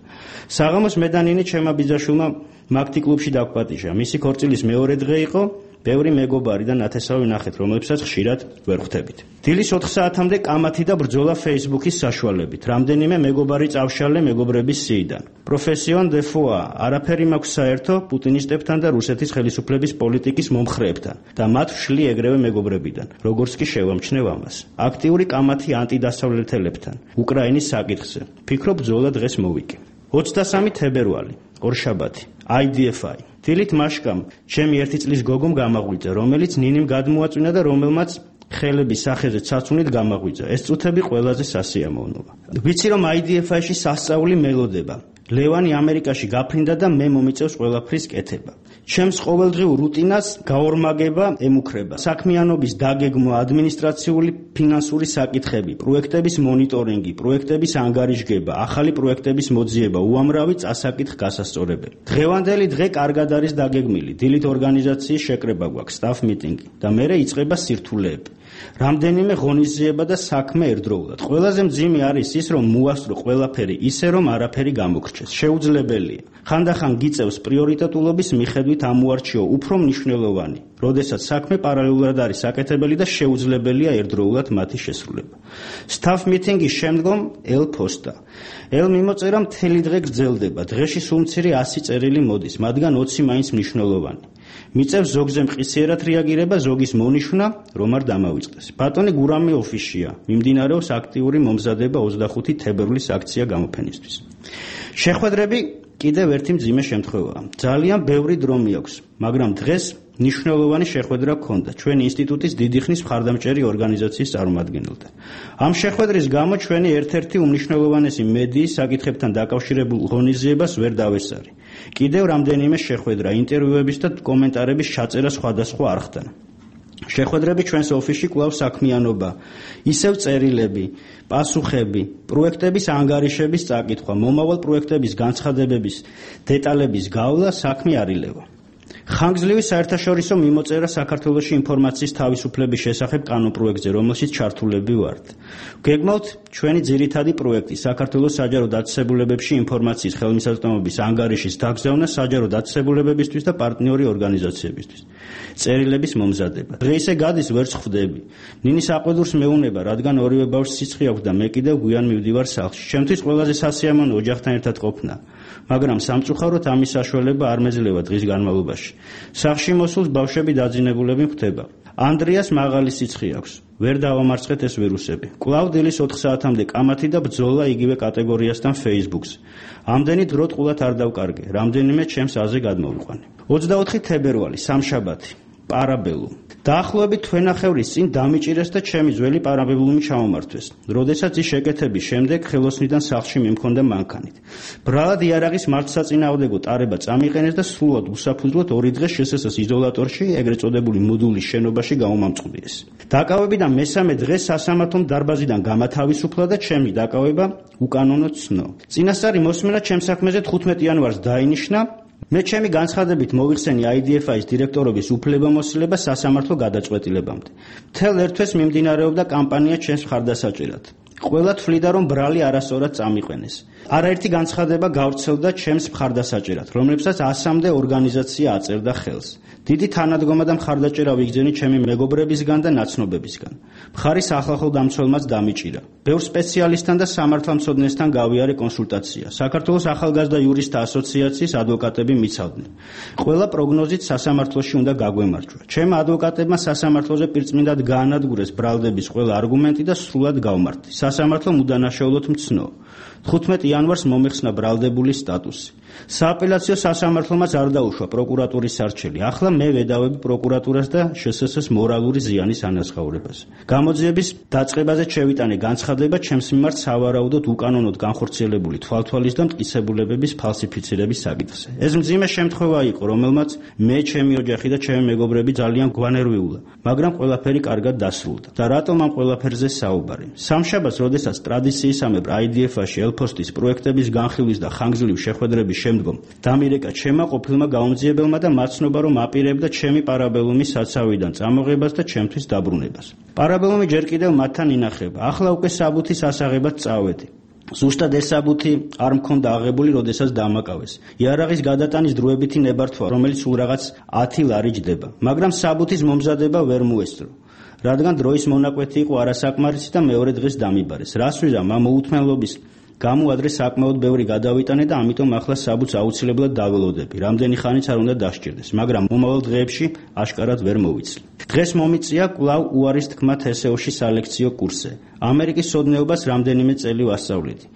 საღამოს მე და ნინი ჩემმა ბიძაშვილმა მაგთი კლუბში დავგვატიჟა. მისი ქორწილის მეორე დღე იყო. ბევრი მეგობარი და ნათესავი ნახეთ, რომლებსაც ხშირად ვერ ხვდებით. დილის 4 საათამდე კამათი და ბრძოლა Facebook-ის საშუალებით. რამდენიმე მეგობარი წავშალე მეგობრების სიიდან. პროფესიონ დე ფოა, არაფერი მაქვს საერთო პუტინისტებთან და რუსეთის ხელისუფლების პოლიტიკის მომხრეებთან და მათ ვშლი ეგრევე მეგობრებიდან, როგორც კი შევამჩნევ ამას. აქტიური კამათი ანტიდასავლეთელებთან, უკრაინის საკითხზე. ფიქრობ ბრძოლა დღეს მოვიკი. 23 თებერვალი, ორშაბათი, IDFI. დილით მაშკამ ჩემი 1 წლის გოგომ გამაღვიძა, რომელიც ნინიმ გადმოაწვინა და რომელმაც ხელების სახეზე ცაცუნით გამაღვიძა. ეს წუთები ყველაზე სასიამოვნოა. ვიცი რომ IDFI-ში სასწაული მელოდება. ლევანი ამერიკაში გაფრინდა და მე მომიწევს ყველაფრის კეთება. ჩემს ყოველდღიურ რუტინას გაორმაგება ემუქრება. საქმიანობის დაგეგმვა, ადმინისტრაციული, ფინანსური საკითხები, პროექტების მონიტორინგი, პროექტების ანგარიშგება, ახალი პროექტების მოძიება, უამრავი წასაკითხ გასასწორებელი. დღევანდელი დღე კარგად არის დაგეგმილი. დილით ორგანიზაციის შეკრება გვაქვს, staff meeting და მერე იწყება სირთულეები. რამდენიმე ღონისძიება და საქმე ერთდროულად. ყველაზე მძიმე არის ის, რომ მოასწრო ყველაფერი ისე, რომ არაფერი გამოგრჩეს. შეუძლებელია. ხანდახან გიწევს პრიორიტეტულობის მიხედვით ამოარჩიო უფრო მნიშვნელოვანი, როდესაც საქმე პარალელურად არის საკეთებელი და შეუძლებელია ერთდროულად მათი შესრულება. Staff meeting-ის შემდგომ ელ-ფოსტა. ელ-მიმოწერა მთელი დღე გრძელდება. დღეში სულ მცირე 100 წერილი მოდის, მათგან 20 მაინც მნიშვნელოვანი. მიწევს ზოგზე მყისიერად რეაგირება, ზოგის მონიშნა, რომ არ დამავიწყდეს. ბატონი გურამი ოფისშია. მიმდინარეობს აქტიური მომზადება 25 თებერვლის აქცია გამოფენისთვის. შეხვედრები კიდევ ერთი მძიმე შემთხვევაა. ძალიან ბევრი დრო მიაქვს, მაგრამ დღეს ნიშნულოვანი შეხვედრა გქონდა ჩვენი ინსტიტუტის დიდი ხნის მხარდამჭერი ორგანიზაციის წარმომადგენელთან. ამ შეხვედრის გამო ჩვენი ერთ-ერთი უმნიშვნელოვანესი მედიის საკითხებთან დაკავშირებულ ღონისძიებას ვერ დავესწარი. კიდევ რამდენიმე შეხვედრა, ინტერვიუების და კომენტარების ჩაწერა სხვადასხვა არხთან. შეხვედრები ჩვენს ოფისში კვლავ საქმიანობა, ისევ წერილები, პასუხები, პროექტების ანგარიშების წაკითხვა, მომავალ პროექტების განცხადებების დეტალების გავლა, საქმე არ ილევა. ხანგრძლივი საერთაშორისო მიმოწერა საქართველოში ინფორმაციის თავისუფლების შესახებ კანონპროექტზე, რომელშიც ჩართულები ვართ. გეგმავთ ჩვენი ძირითადი პროექტი საქართველოს საჯარო დაწესებულებებში ინფორმაციის ხელმისაწვდომობის ანგარიშის დაგზავნა საჯარო დაწესებულებებისთვის და პარტნიორი ორგანიზაციებისთვის. წერილების მომზადება. დღეისე გადის ვერც ხვდები. ნინი საყვედურს მეუნება, რადგან ორივე ბავშვს სიცხე აქვს და მე კიდევ გვიან მივდივარ სახლში. ჩემთვის ყველაზე სასიამოვნო ოჯახთან ერთად ყოფნა. მაგრამ სამწუხაროდ ამის საშუალება არ მეძლევა დღის განმავლობაში. სახლში მოსულს ბავშვები დაძინებულები ხვდება. ანდრიას მაღალი სიცხე აქვს. ვერ დავამარცხეთ ეს ვირუსები. კვლავ დილის 4 საათამდე კამათი და ბრძოლა იგივე კატეგორიასთან Facebook-ს. ამდენი დრო ტყუილად არ დავკარგე, რამდენიმე ჩემს აზე გადმოვიყვანე. 24 თებერვალი, სამშაბათი. პარაბელუმ. დაახლოებით თვენახევრის წინ დამიჭირეს და ჩემი ძველი პარაბელუმი ჩამომართვეს. როდესაც ის შეკეთების შემდეგ ხელოსნიდან სახლში მიმქონდა მანქანით. ბრალად იარაღის მართლსაწინააღმდეგო ტარება წამიყენეს და სრულად უსაფუძვლოდ 2 დღე შსს იზოლატორში, ეგრეთ წოდებული მოდულის შენობაში გამომამწყვრიეს. დაკავებიდან მესამე დღეს სასამართლომ დარბაზიდან გამათავისუფლა და ჩემი დაკავება უკანონოდ ცნო. წინასწარი მოსმენა ჩემ საქმეზე 15 იანვარს დაინიშნა. მე ჩემი განცხადებით მოვიხსენი IDFI-ის დირექტორობის უფლებამოსილება სასამართლო გადაწყვეტილებამდე. მთელ ერთ თვეს მიმდინარეობდა კამპანია ჩემს მხარდასაჭერად. ყველა თვლიდა, რომ ბრალი არასწორად წამიყენეს. არაერთი განცხადება გავრცელდა ჩემს მხარდასაჭერად, რომლებსაც 100-მდე ორგანიზაცია აწერდა ხელს. დიდი თანადგომა და მხარდაჭერა ვიგრძენი ჩემი მეგობრებისგან და ნაცნობებისგან. მხარი სახალხო-დამცველმაც დამიჭირა. ბევრ სპეციალისტთან და სამართალმცოდნესთან გავიარე კონსულტაცია. საქართველოს ახალგაზრდა იურისტთა ასოციაციის ადვოკატები მიცავდნენ. ყველა პროგნოზით სასამართლოში უნდა გაგვემარჯვა. ჩემ ადვოკატებმა სასამართლოზე პირწმინდად გაანადგურეს ბრალდების ყველა არგუმენტი და სრულად გავმართი. სასამართლომ უდანაშაულოდ მცნო. 15 იანვარს მომიხსნა ბრალდებული სტატუსი. სააპელაციო სასამართლომაც არ დაუშვა პროკურატურის სარჩელი. ახლა მე ვედავები პროკურატურას და შსს მორალური ზიანის ანაზღაურებას. გამოძიების დაწყებაზე შევიტანე განცხადება ჩემს მიმართ სავარაუდოდ უკანონოდ განხორციელებული თვალთვალის და მტკიცებულებების ფალსიფიცირების საკითხზე. ეს მძიმე შემთხვევა იყო, რომელმაც მე, ჩემი ოჯახი და ჩემი მეგობრები ძალიან გვანერვიულა, მაგრამ ყველაფერი კარგად დასრულდა. და რატომ ამ ყველაფერზე საუბარი? სამშაბათს, როდესაც ტრადიციისამებრ IDF-ში ელფოსტის პროექტების განხილვის და ხანგრძლივი შეხვედრების შემდგომ დამირეკა ჩემმა ყოფილმა გაუმძიებელმა და მაცნობა, რომ აპირებდა ჩემი პარაბელუმის საცავიდან წამოღებას და ჩემთვის დაბრუნებას. პარაბელუმი ჯერ კიდევ მათთან ინახება. ახლა უკვე საბუთის ასაღებად წავედი. ზუსტად ეს საბუთი არ მქონდა აღებული, როდესაც დამაკავეს. იარაღის გადატანის დროებითი ნებართვა, რომელიც სულ რაღაც 10 ლარი ჯდება, მაგრამ საბუთის მომზადება ვერ მოესწრო. რადგან დროის მონაკვეთი იყო არასაკმარისი და მეორე დღეს დამიბარეს. რას ვიზამ ამ მოუთმენლობის გამო ადრე საკმაოდ ბევრი გადავიტანე და ამიტომ ახლა საბუთს აუცილებლად დაველოდები. რამდენი ხანიც არ უნდა დასჭირდეს, მაგრამ მომავალ დღეებში აშკარად ვერ მოვიცლი. დღეს მომიწია კვლავ უარის თქმა TSO-ში სალექციო კურსზე. ამერიკის სოდნეობას რამდენიმე წელი ვასწავლეთი.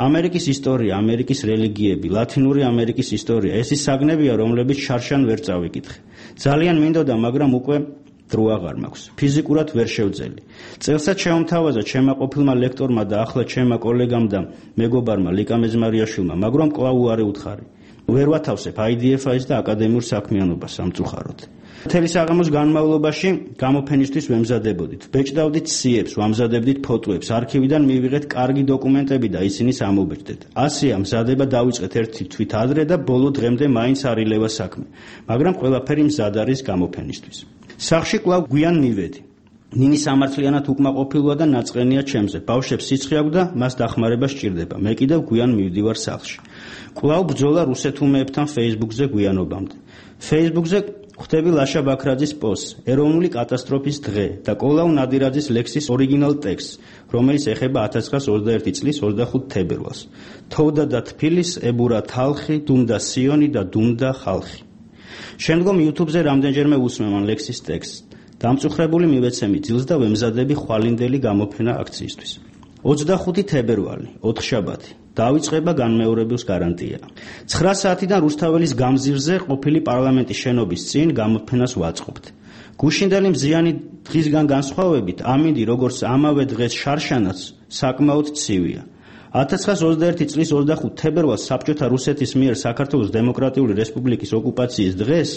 ამერიკის ისტორია, ამერიკის რელიგიები, ლათინური ამერიკის ისტორია, ეს ის საგნებია, რომლებიც შარშან ვერ წავიკითხე. ძალიან მინდოდა, მაგრამ უკვე დრო აღარ მაქვს. ფიზიკურად ვერ შევძელი. წელსაც შემომთავაზა ჩემმა ყოფილმა ლექტორმა და ახლა ჩემმა კოლეგამ და მეგობარმა ლიკა მეძმარიაშვილმა, მაგრამ კვლავ უარი უთხარი. ვერ ვათავსებ IDF-ის და აკადემიურ საქმიანობას სამწუხაროდ. მთელი საღამოს განმავლობაში გამოფენისთვის ვემზადებოდით. ბეჭდავდით სიებს, ვამზადებდით ფოტოებს, არქივიდან მივიღეთ კარგი დოკუმენტები და ისინი ამობეჭდეთ. ასეა მზადება დავიწყეთ ერთი თვით ადრე და ბოლო დღემდე მაინც არ ილევა საქმე, მაგრამ ყველაფერი მზად არის გამოფენისთვის. სახლში კვლავ გვიან მივედი. ნინი სამართლიანად უკმაყოფილოა და ნაწყენია ჩემზე. ბავშვებს სიცხე აქვს და მას დახმარება სჭირდება. მე კიდევ გვიან მივდივარ სახლში. კვლავ ბრძოლა რუსეთუმეებთან Facebook-ზე გვიანობამდე. Facebook-ზე ხვდები ლაშა ბაქრაძის პოსტს, ეროვნული კატასტროფის დღე და კოლაუ ნადირაძის ლექსის ორიგინალ ტექსტს, რომელიც ეხება 1921 წლის 25 თებერვალს. თოვდა და თბილის ებურა თალხი, დუმდა სიონი და დუმდა ხალხი. შემდგომ YouTube-ზე რამდენჯერმე უსმენ ამ ლექსის ტექსტს. დამწუხრებული მივეცემი ძილს და ვემზადები ხვალინდელი გამოფენა აქციისთვის. 25 თებერვალი, ოთხშაბათი. დავიწყება განმეორებლის გარანტია. 9 საათიდან რუსთაველის გამზირზე ყოფილი პარლამენტის შენობის წინ გამოფენას ვაწყობთ. გუშინდელი მზიანი დღისგან განსხვავებით, ამინდი როგორც ამავე დღეს შარშანაც საკმაოდ ცივია. 1921 წლის 25 თებერვალს საბჭოთა რუსეთის მიერ საქართველოს დემოკრატიული რესპუბლიკის ოკუპაციის დღეს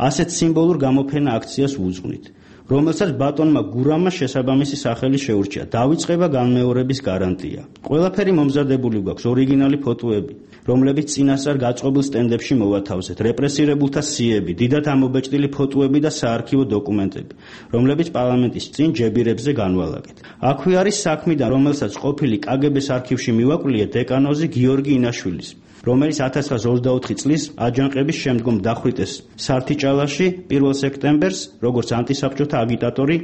ასეთ სიმბოლურ გამოფენა აქციას ვუძღვნით, რომელსაც ბატონმა გურამმა შესაბამისი სახელი შეურჩია. დავიწყება განმეორების გარანტია. ყველაფერი მომზადებული გვაქვს, ორიგინალი ფოტოები, რომლებიც წინასწარ გაწყობილ სტენდებში მოვათავსეთ, რეპრესირებულთა სიები, დიდად ამობეჭდილი ფოტოები და საარქივო დოკუმენტები, რომლებიც პარლამენტის წინ ჯებირებზე განვალაგეთ. აქვე არის საქმიდან, რომელსაც ყოფილი KGB-ს არქივში მივაკვლიე დეკანოზი გიორგი ინაშვილის, რომელიც 1924 წლის აჯანყების შემდგომ დახვრიტეს სართიჭალაში 1 სექტემბერს, როგორც ანტისაბჭოთა აგიტატორი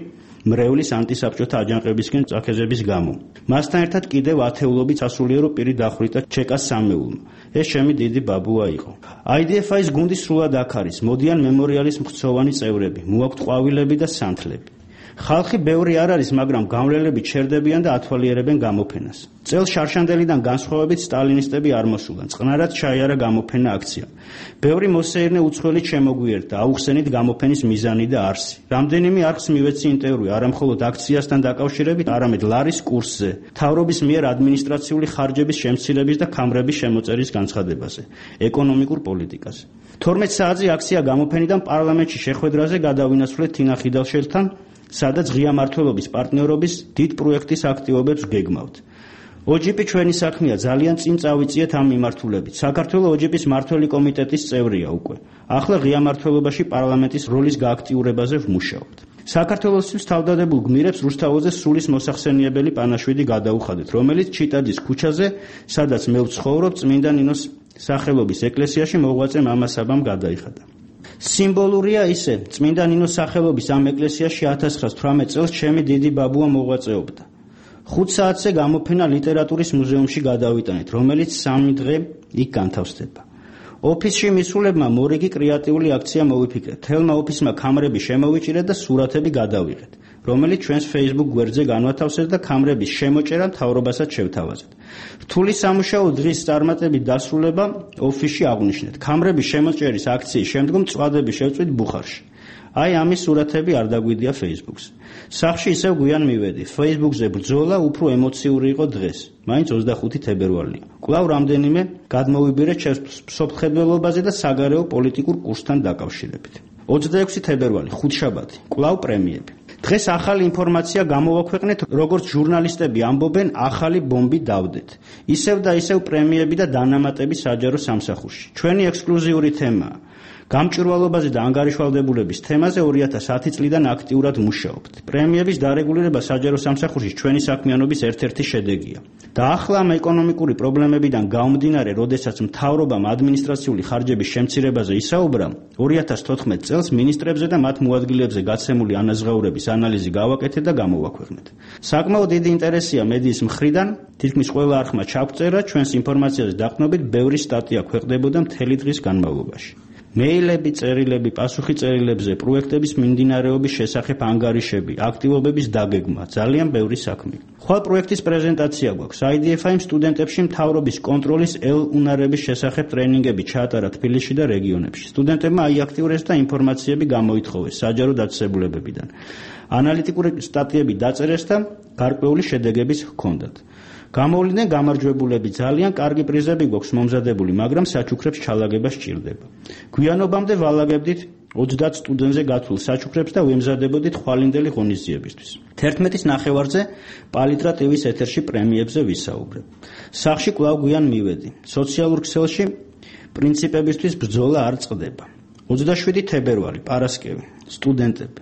მრევლის ანტისაბჭოთა აჯანყებისკენ წაქეზების გამო. მასთან ერთად კიდევ ათეულობით სასულიერო პირი დახვრიტა ჩეკას სამეულმა. ეს ჩემი დიდი ბაბუა იყო. IDFI-ის გუნდი სრულად აქ არის. მოდიან მემორიალის მხცოვანი წევრები, მოაქვთ ყვავილები და სანთლები. ხალხი ბევრი არ არის, მაგრამ გამვლელები ჩერდებიან და ათვალიერებენ გამოფენას. წელს შარშანდელიდან განსხვავებით სტალინისტები არ მოსულან. წყნარად ჩაიარა გამოფენა აქცია. ბევრი მოსეირნე უცხოელი შემოგვიერთა, აუხსენით გამოფენის მიზანი და არსი. რამდენიმე არხს მივეცი ინტერვიუ, არა მხოლოდ აქციასთან დაკავშირებით, არამედ ლარის კურსზე, მთავრობის მიერ ადმინისტრაციული ხარჯების შემცირების და ქამრების შემოწერის განცხადებაზე, ეკონომიკურ პოლიტიკაზე. 12 საათზე აქცია გამოფენიდან პარლამენტში შეხვედრაზე გადავინაცვლეთ თინა ხიდალშელთან, სადაც ღია მმართველობის პარტნიორობის დიდ პროექტის აქტივობებს გეგმავთ. OGP ჩვენი საქმეა, ძალიან წინ წავიწიეთ ამ მიმართულებით. საქართველოს OGP-ის მმართველი კომიტეტის წევრია უკვე. ახლა ღია მმართველობაში პარლამენტის როლის გააქტიურებაზე ვმუშაობთ. საქართველოსთვის თავდადებულ გმირებს რუსთაველზე სულის მოსახსენიებელი პანაშვიდი გადაუხადეთ, რომელიც ჩიტაძის ქუჩაზე, სადაც მე ვცხოვრობ, წმინდა ნინოს სახელობის ეკლესიაში მოღვაწე მამასაბამ გადაიხადა. სიმბოლურია ისე, წმინდა ნინოს სახელობის ამ ეკლესიაში 1918 წელს ჩემი დიდი ბაბუა მოღვაწეობდა. 5 საათზე გამოფენა ლიტერატურის მუზეუმში გადავიტანეთ, რომელიც 3 დღე იქ განთავსდება. ოფისში მისულებმა მორიგი კრეატიული აქცია მოვიფიქრეთ. თელმა ოფისმა კამრები შემოვიჭირეთ და სურათები გადავიღეთ, რომელიც ჩვენს Facebook გვერდზე განვათავსეთ და კამრების შემოჭერა მთავრობასაც შევთავაზეთ. რთული სამუშაო დღის წარმატებით დასრულება ოფისში აღვნიშნეთ. კამრების შემოჭერის აქციის შემდგომ წვადები შევწვით ბუხარში. აი ამის სურათები არ დაგვიდია Facebook-ზე. სახლში ისევ გვიან მივედი. Facebook-ზე ბრძოლა უფრო ემოციური იყო დღეს. მაინც 25 თებერვალია. კვლავ რამდენიმე გადმოვიბირე სოფლმხედველობაზე და საგარეო პოლიტიკურ კურსთან დაკავშირებით. 26 თებერვალი, ხუთშაბათი. კვლავ პრემიები. დღეს ახალი ინფორმაცია გამოვაქვეყნეთ, როგორც ჟურნალისტები ამბობენ, ახალი ბომბი დავდეთ. ისევ და ისევ პრემიები და დანამატები საჯარო სამსახურში. ჩვენი ექსკლუზიური თემაა. გამჭვირვალობაზე და ანგარიშვალდებულების თემაზე 2010 წლიდან აქტიურად მუშაობთ. პრემიების დარეგულირება საჯარო სამსახურში ჩვენი საქმიანობის ერთ-ერთი შედეგია. და ახლა ამ ეკონომიკური პრობლემებიდან გამომდინარე, როდესაც მთავრობამ ადმინისტრაციული ხარჯების შემცირებაზე ისაუბრა, 2014 წელს მინისტრებზე და მათ მოადგილეებზე გაცემული ანაზღაურების ანალიზი გავაკეთეთ და გამოვაქვეყნეთ. საკმაოდ დიდი ინტერესია მედიის მხრიდან, თითქმის ყველა არხმა ჩაგვწერა, ჩვენს ინფორმაციაზე დაყრდნობით ბევრი სტატია ქვეყნდებოდა მთელი დღის განმავლობაში. მეილები, წერილები, პასუხი წერილებზე, პროექტების მიმდინარეობის შესახებ ანგარიშები, აქტივობების დაგეგმა, ძალიან ბევრი საქმე. ხვალ პროექტის პრეზენტაცია გვაქვს. IDFI-იმ სტუდენტებში მთავრობის კონტროლის უნარების შესახებ ტრენინგები ჩაატარა თბილისში და რეგიონებში. სტუდენტებმა აიაქტიურეს და ინფორმაციები გამოითხოვეს საჯარო დაწესებულებებიდან. ანალიტიკური სტატიები დაწერეს და გარკვეული შედეგებიც ჰქონდათ. გამოვლინდნენ გამარჯვებულები, ძალიან კარგი პრიზები გვაქვს მომზადებული, მაგრამ საჩუქრებს ჩალაგება სჭირდება. გვიანობამდე ვალაგებდით 30 სტუდენტზე გათვლილ საჩუქრებს და ვემზადებოდით ხვალინდელი ღონისძიებისთვის. 11-ის ნახევარზე პალიტრა TV-ის ეთერში პრემიებზე ვისაუბრებ. სახლში კვლავ გვიან მივედი. სოციალურ ქსელში პრინციპებისთვის ბრძოლა არ წყდება. 27 თებერვალი, პარასკევი, სტუდენტები.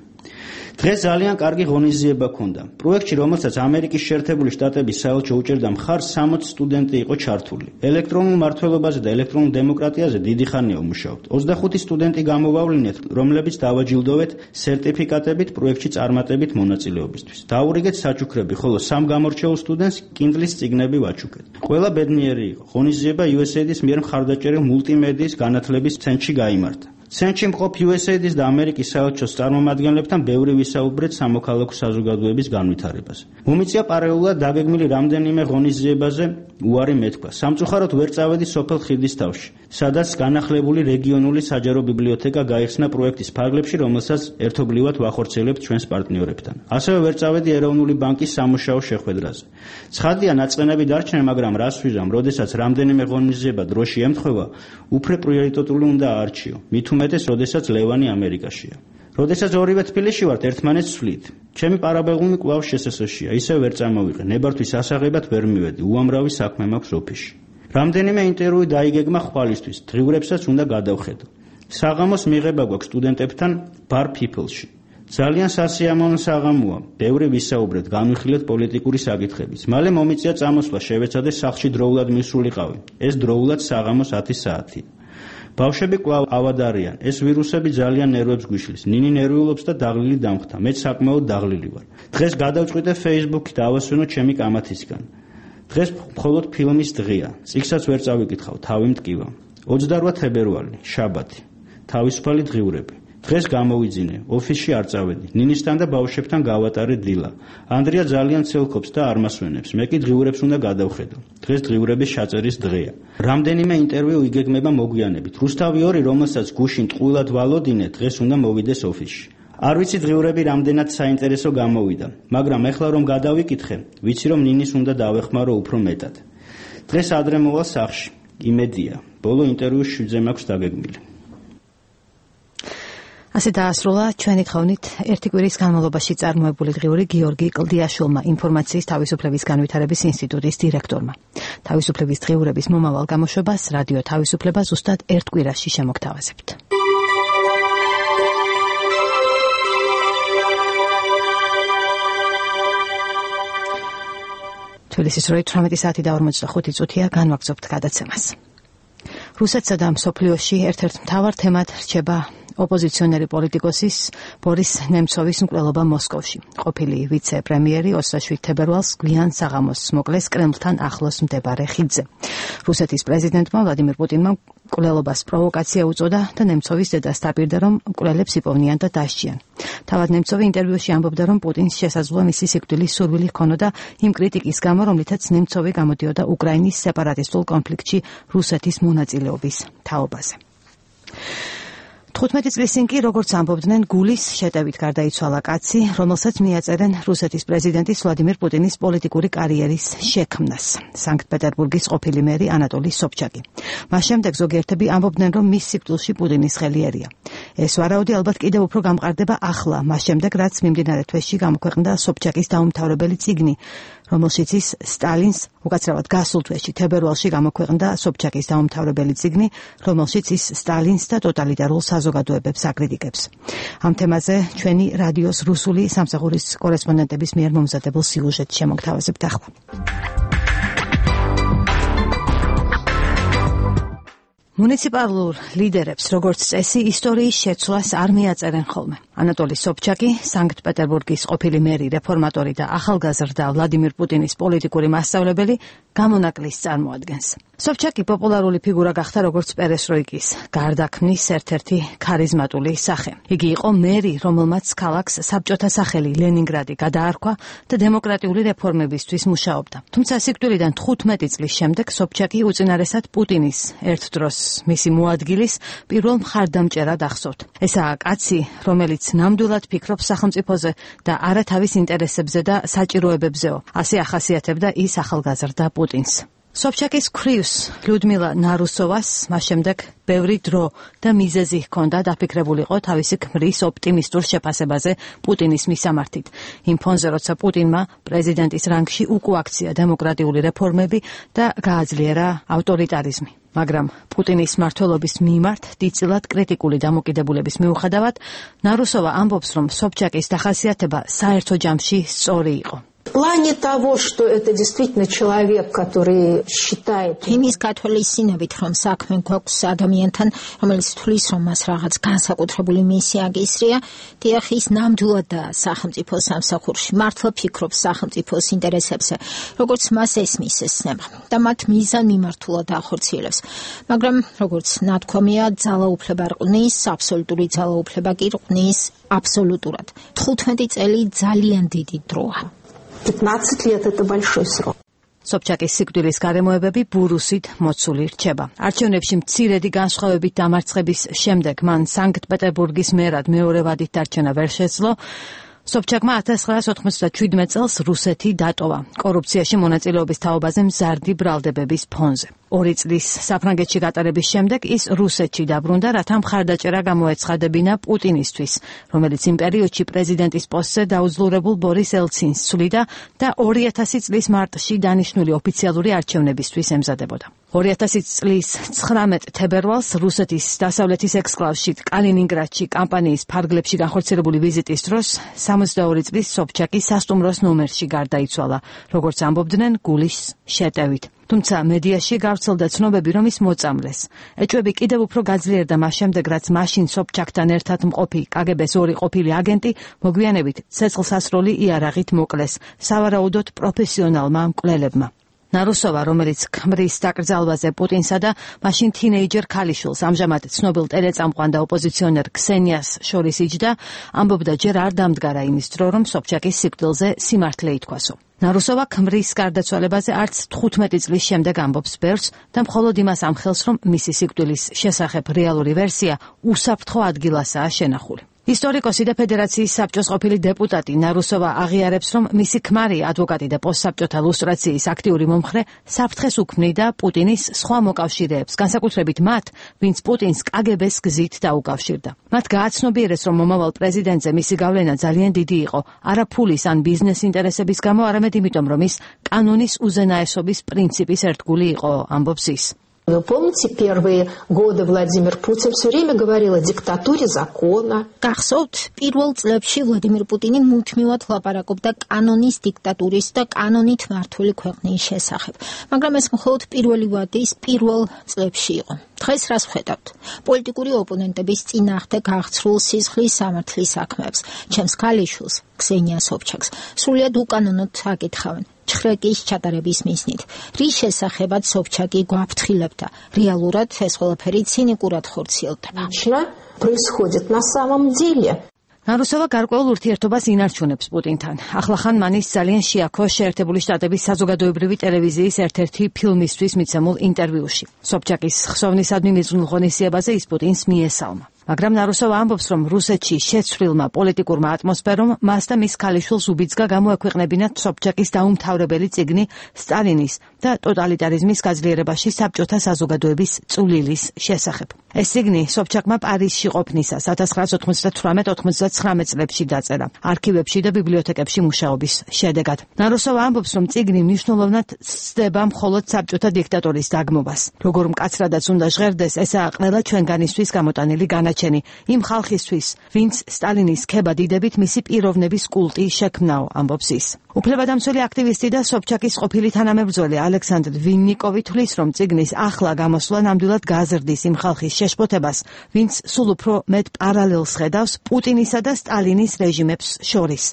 დღეს ძალიან კარგი ღონისძიება ჰქონდა. პროექტში, რომელსაც ამერიკის შეერთებული შტატების საელჩო უჭერდა მხარს, 60 სტუდენტი იყო ჩართული. ელექტრონულ მმართველობაზე და ელექტრონულ დემოკრატიაზე დიდი ხანია ვმუშაობთ. 25 სტუდენტი გამოვავლინეთ, რომლებიც დავაჯილდოვეთ სერტიფიკატებით პროექტში წარმატებით მონაწილეობისთვის. დაურიგეთ საჩუქრები, ხოლო 3 გამორჩეულ სტუდენტს კინდლის წიგნები ვაჩუქეთ. ყველა ბედნიერი იყო. ღონისძიება USAID-ის მიერ მხარდაჭერილ მულტიმედიის განათლების ცენტრში გაიმართა. ცენტრში მყოფ USAID-ის და ამერიკის საელჩოს წარმომადგენლებთან ბევრი ვისაუბრეთ სამოქალაქო საზოგადოების განვითარებაზე. მომიწია პარალელურად დაგეგმილი რამდენიმე ღონისძიებაზე უარი მეთქვა. სამწუხაროდ ვერ წავედი სოფელ ხიდისთავში, სადაც განახლებული რეგიონული საჯარო ბიბლიოთეკა გაიხსნა პროექტის ფარგლებში, რომელსაც ერთობლივად ვახორციელებთ ჩვენს პარტნიორებთან. ასევე ვერ წავედი ეროვნული ბანკის სამუშაო შეხვედრაზე. ცხადია, ნაწყენები დარჩნენ, მაგრამ რას ვიზამ, როდესაც რამდენიმე ღონისძიება დროში ემთხვევა, უფრო პრიორიტეტული უნდა აარჩიო. მით უმეტეს, როდესაც ლევანი ამერიკაშია. როდესაც ორივე თბილისში ვართ, ერთმანეთს ვსვლით. ჩემი პარაბელუმი კვლავ შესაძლოა, ისევ ვერ წამოვიღე. ნებართვის ასაღებად ვერ მივედი. უამრავი საქმე მაქვს ოფისში. რამდენიმე ინტერვიუ დაიგეგმა ხვალისთვის, დღიურებსაც უნდა გადავხედო. საღამოს მიღება გვაქვს სტუდენტებთან Bar People-ში. ძალიან სასიამოვნო საღამოა. ბევრი ვისაუბრეთ, განვიხილეთ პოლიტიკური საკითხებიც. მალე მომიწია წამოსვლა, შევეცადე სახლში დროულად მისულიყავი. ეს დროულად საღამოს 10 საათია. ბავშვები კვლავ ავად არიან. ეს ვირუსები ძალიან ნერვებს გვიშლის. ნინი ნერვიულობს და დაღლილი დამხთა. მეც საკმაოდ დაღლილი ვარ. დღეს გადავწყვიტე Facebook-ი და ავასვენო ჩემი კამათისგან. დღეს მხოლოდ ფილმის დღეა. წიგნსაც ვერ წავიკითხავ, თავი მტკივა. 28 თებერვალი, შაბათი. თავისუფალი დღიურები. დღეს გამოვიძინე, ოფისში არ წავედი. ნინისთან და ბავშვებთან გავატარე დილა. ანდრია ძალიან ცელქობს და არ მასვენებს. მე კი დღიურებს უნდა გადავხედო. დღეს დღიურების ჩაწერის დღეა. რამდენიმე ინტერვიუ იგეგმება მოგვიანებით. რუსთავი 2, რომელსაც გუშინ ტყუილად ვალოდინე, დღეს უნდა მოვიდეს ოფისში. არ ვიცი დღიურები რამდენად საინტერესო გამოვიდა, მაგრამ ეხლა რომ გადავიკითხე, ვიცი რომ ნინის უნდა დავეხმარო უფრო მეტად. დღეს ადრე მოვალ სახლში, იმედია. ბოლო ინტერვიუს 7-ზე მაქვს დაგეგმილი. ასე დაასრულა ჩვენი თხოვნით ერთი კვირის განმავლობაში წარმოებული დღიური გიორგი კლდიაშვილმა, ინფორმაციის თავისუფლების განვითარების ინსტიტუტის დირექტორმა. თავისუფლების დღიურების მომავალ გამოშვებას რადიო თავისუფლება ზუსტად ერთ კვირაში შემოგთავაზებთ. თბილისის 18 საათი და 45 წუთია, განვაგრძობთ გადაცემას. რუსეთსა და მსოფლიოში ერთ-ერთ მთავარ თემად რჩება ოპოზიციონერი პოლიტიკოსის ბორის ნემცოვის მკვლელობა მოსკოვში. ყოფილი ვიცე-პრემიერი 27 თებერვალს გვიან საღამოს მოკლეს კრემლთან ახლოს მდებარე ხიდზე. რუსეთის პრეზიდენტმა ვლადიმირ პუტინმა მკვლელობას პროვოკაცია უწოდა და ნემცოვის დედას დაპირდა, რომ მკვლელებს იპოვნიან და დასჯიან. თავად ნემცოვი ინტერვიუში ამბობდა, რომ პუტინს შესაძლოა მისი სიკვდილის სურვილი ჰქონოდა იმ კრიტიკის გამო, რომლითაც ნემცოვი გამოდიოდა უკრაინის სეპარატისტულ კონფლიქტში რუსეთის მონაწილეობის თაობაზე. 15 წლის წინ კი, როგორც ამბობდნენ, გულის შეტევით გარდაიცვალა კაცი, რომელსაც მიაწერენ რუსეთის პრეზიდენტის ვლადიმირ პუტინის პოლიტიკური კარიერის შექმნას. სანქტ-პეტერბურგის ყოფილი მერი ანატოლი სობჩაკი. მას შემდეგ ზოგიერთები ამბობდნენ, რომ მის სიკვდილში პუტინის ხელი ერია. ეს ვარაუდი ალბათ კიდევ უფრო გამყარდება ახლა, მას შემდეგ, რაც მიმდინარე თვეში გამოქვეყნდა სობჩაკის დაუმთავრებელი წიგნი, რომელშიც ის სტალინს, უკაცრავად გასულ თვეში თებერვალში გამოქვეყნდა სობჩაკის დაუმთავრებელი წიგნი, რომელშიც ის სტალინს და ტოტალიტარულ საზოგადოებებს აკრიტიკებს. ამ თემაზე ჩვენი რადიოს რუსული სამსახურის კორესპონდენტების მიერ მომზადებულ სიუჟეტს შემოგთავაზებთ ახლა. მუნიციპალურ ლიდერებს, როგორც წესი, ისტორიის შეცვლას არ მიაწერენ ხოლმე. ანატოლი სობჩაკი, სანქტ-პეტერბურგის ყოფილი მერი, რეფორმატორი და ახალგაზრდა ვლადიმირ პუტინის პოლიტიკური მასწავლებელი გამონაკლისს წარმოადგენს. სობჩაკი პოპულარული ფიგურა გახდა როგორც პერესტროიკის გარდაქმნის ერთ-ერთი ქარიზმატული სახე. იგი იყო მერი, რომელმაც ქალაქს საბჭოთა სახელი ლენინგრადი გადაარქვა და დემოკრატიული რეფორმებისთვის მუშაობდა. თუმცა სიკვდილიდან 15 წლის შემდეგ სობჩაკი უწინარესად პუტინის ერთ დროს მისი მოადგილის პირველ მხარდამჭერად ახსოვთ. ესაა კაცი, რომელიც ნამდვილად ფიქრობს სახელმწიფოზე და არა თავის ინტერესებზე და საჭიროებებზეო. ასე ახასიათებდა ის ახალგაზრდა პუტინს. სობჩაკის ქვრივს ლიუდმილა ნარუსოვას მას შემდეგ ბევრი დრო და მიზეზი ჰქონდა დაფიქრებულიყო თავისი ქმრის ოპტიმისტურ შეფასებაზე პუტინის მისამართით. იმ ფონზე, როცა პუტინმა პრეზიდენტის რანგში უკუაქცია დემოკრატიული რეფორმები და გააძლიერა ავტორიტარიზმი. მაგრამ პუტინის მმართველობის მიმართ დიდწილად კრიტიკული დამოკიდებულების მიუხედავად, ნარუსოვა ამბობს, რომ სობჩაკის დახასიათება საერთო ჯამში სწორი იყო. В плане того, что это действительно человек, который считает... იმის გათვალისწინებით, რომ საქმე გვაქვს ადამიანთან, რომელიც თვლის, რომ მას რაღაც განსაკუთრებული მისია გისრია, დიახ, ის ნამდვილად სახელმწიფო სამსახურში მართლა ფიქრობს სახელმწიფოს ინტერესებზე, როგორც მას ესმის ეს ცნება და მათ მიზანმიმართულად ახორციელებს. მაგრამ, როგორც ნათქვამია, ძალაუფლება რყნის, აბსოლუტური ძალაუფლება კი რყნის აბსოლუტურად. 15 წელი ძალიან დიდი დროა. 15 лет это большой срок. სობჩაკის სიკვდილის გარემოებები ბურუსით მოცული რჩება. არჩევნებში მცირედი განსხვავებით დამარცხების შემდეგ მან სანქტ-პეტერბურგის მერად მეორე ვადით დარჩენა ვერ შეძლო. სობჩაკმა 1997 წელს რუსეთი დატოვა კორუფციაში მონაწილეობის თაობაზე მზარდი ბრალდებების ფონზე. 2 წლის საფრანგეთში გატარების შემდეგ ის რუსეთში დაბრუნდა, რათა მხარდაჭერა გამოეცხადებინა პუტინისთვის, რომელიც იმ პერიოდში პრეზიდენტის პოსტზე დაუძლურებულ ბორის ელცინს ცვლიდა და 2000 წლის მარტში დანიშნული ოფიციალური არჩევნებისთვის ემზადებოდა. 2000 წლის 19 თებერვალს რუსეთის დასავლეთის ექსკლავში კალინინგრადში კამპანიის ფარგლებში განხორციელებული ვიზიტის დროს 62 წლის სობჩაკი სასტუმროს ნომერში გარდაიცვალა, როგორც ამბობდნენ, გულის შეტევით. თუმცა მედიაში გავრცელდა ცნობები, რომ ის მოწამლეს. ეჭვები კიდევ უფრო გაძლიერდა მას შემდეგ, რაც მაშინ სობჩაკთან ერთად მყოფი კგბ-ს ორი ყოფილი აგენტი მოგვიანებით ცეცხლსასროლი იარაღით მოკლეს სავარაუდოდ პროფესიონალმა მკვლელებმა. ნარუსოვა, რომელიც ქმრის დაკრძალვაზე პუტინსა და მაშინ თინეიჯერ ქალიშვილს, ამჟამად ცნობილ ტელეწამყვან და ოპოზიციონერ ქსენიას შორის იჯდა, ამბობდა ჯერ არ დამდგარა იმის დრო, რომ სობჩაკის სიკვდილზე სიმართლე ითქვასო. ნარუსოვა ქმრის გარდაცვალებაზე არც 15 წლის შემდეგ ამბობს ბერს და მხოლოდ იმას ამხელს, რომ მისი სიკვდილის შესახებ რეალური ვერსია უსაფრთხო ადგილასაა შენახული. ისტორიკოსი და ფედერაციის საბჭოს ყოფილი დეპუტატი ნარუსოვა აღიარებს, რომ მისი ქმარი, ადვოკატი და პოსტსაბჭოთა ლუსტრაციის აქტიური მომხრე საფრთხეს უქმნიდა პუტინის სხვა მოკავშირეებს, განსაკუთრებით მათ, ვინც პუტინს კგბ-ს გზით დაუკავშირდა. მათ გააცნობიერეს, რომ მომავალ პრეზიდენტზე მისი გავლენა ძალიან დიდი იყო, არა ფულის ან ბიზნეს ინტერესების გამო, არამედ იმიტომ, რომ ის კანონის უზენაესობის პრინციპის ერთგული იყო, ამბობს ის. Вы помните, первые годы Владимир Путин все время говорил о диктатуре закона. გახსოვთ, პირველ წლებში ვლადიმერ პუტინი მუდმივად ლაპარაკობდა კანონის დიქტატურის და კანონით მართული ქვეყნის შესახებ. მაგრამ ეს მხოლოდ პირველი ვადის პირველ წლებში იყო. დღეს რას ვხედავთ? პოლიტიკური ოპონენტების წინააღმდეგ გახცრულ სისხლის სამართლის საქმეებს, ჩემს ქალიშვილს, ქსენია სობჩაკს, სრულიად უკანონოდ აკითხავენ. ჩხრეკის ჩატარების მიზნით. რის შესახებაც სობჩაკი გვაფრთხილებდა. რეალურად ეს ყველაფერი ცინიკურად ხორციელდება. Происходит на самом деле. ნარუსოვა გარკვეულ ურთიერთობას ინარჩუნებს პუტინთან. ახლახან მანის ძალიან შეაქო შეერთებული შტატების საზოგადოებრივი ტელევიზიის ერთ-ერთი ფილმისთვის მიცემულ ინტერვიუში. სობჩაკის ხსოვნისადმი მიზნულ ღონისძიებაზე ის პუტინს მიესალმა. მაგრამ ნარუსოვა ამბობს, რომ რუსეთში შეცვლილმა პოლიტიკურმა ატმოსფერომ მას და მის ქალიშვილს უბიძგა გამოექვეყნებინათ სობჩაკის დაუმთავრებელი წიგნი სტალინის და ტოტალიტარიზმის გაძლიერებაში საბჭოთა საზოგადოების წვლილის შესახებ. ეს წიგნი სობჩაკმა პარიზში ყოფნისას 1998-99 წლებში დაწერა, არქივებში და ბიბლიოთეკებში მუშაობის შედეგად. ნარუსოვა ამბობს, რომ წიგნი მნიშვნელოვნად ცდება მხოლოდ საბჭოთა დიქტატორის დაგმობას. როგორ მკაცრადაც უნდა ჟღერდეს, ესაა ყველა ჩვენგანისთვის გამოტანილი განაჩენი იმ ხალხისთვის, ვინც სტალინის ქება დიდებით მისი პიროვნების კულტი შექმნაო, ამბობს ის. უფლებადამცველი აქტივისტი და სობჩაკის ყოფილი თანამებრძოლი ალექსანდრ ვინნიკოვი თვლის, რომ წიგნის ახლა გამოსვლა ნამდვილად გაზრდის იმ ხალხის შეშფოთებას, ვინც სულ უფრო მეტ პარალელს ხედავს პუტინისა და სტალინის რეჟიმებს შორის.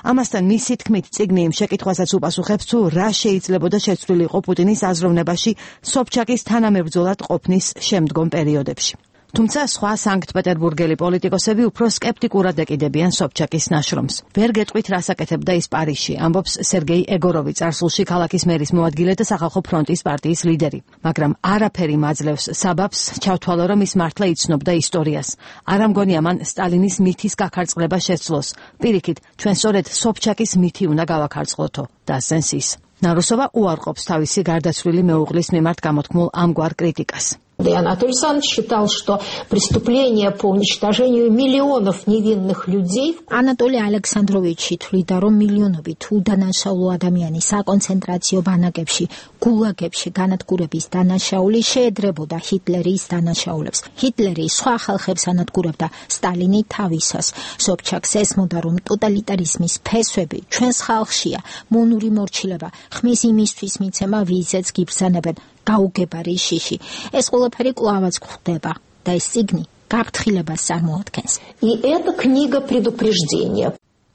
ამასთან მისი თქმით, წიგნი იმ შეკითხვასაც უპასუხებს, თუ რა შეიძლებოდა შეცვლილიყო პუტინის აზროვნებაში სობჩაკის თანამებრძოლად ყოფნის შემდგომ პერიოდებში. თუმცა სხვა სანქტ-პეტერბურგელი პოლიტიკოსები უფრო სკეპტიკურად ეკიდებიან სობჩაკის ნაშრომს. ვერ გეტყვით, რას აკეთებდა ის პარიზში, ამბობს სერგეი ეგოროვი, წარსულში ქალაქის მერის მოადგილე და სახალხო ფრონტის პარტიის ლიდერი. მაგრამ არაფერი მაძლევს საბაბს ჩავთვალო, რომ ის მართლა იცნობდა ისტორიას. არ ამგონია მან სტალინის მითის გაქარწყლება შეცვლოს. პირიქით, ჩვენ სწორედ სობჩაკის მითი უნდა გავაქარწყლოთო, დასძენს ის. ნარუსოვა უარყოფს თავისი გარდაცვლილი მეუღლის მიმართ გამოთქმულ ამგვარ კრიტიკას. Анатолий Александрович считал, что преступление по уничтожению миллионов невинных людей. Анатолий Александрович თვლიდა, რომ მილიონობით უდანაშაულო ადამიანის საკონცენტრაციო ბანაკებში, გულაგებში განადგურების დანაშაული შეედრებოდა ჰიტლერის დანაშაულებს. ჰიტლერი სხვა ხალხებს ანადგურებდა, სტალინი თავისას. სობჩაკს ესმოდა, რომ ტოტალიტარიზმის ფესვები ჩვენს ხალხშია, მონური მორჩილება, ხმის იმისთვის მიცემა, ვიზეც გიბრძანებენ. გაუგებარი შიში. ეს ყველაფერი კვლავაც გვხდება და ეს წიგნი გაფრთხილებას წარმოადგენს. И это книга предупреждения.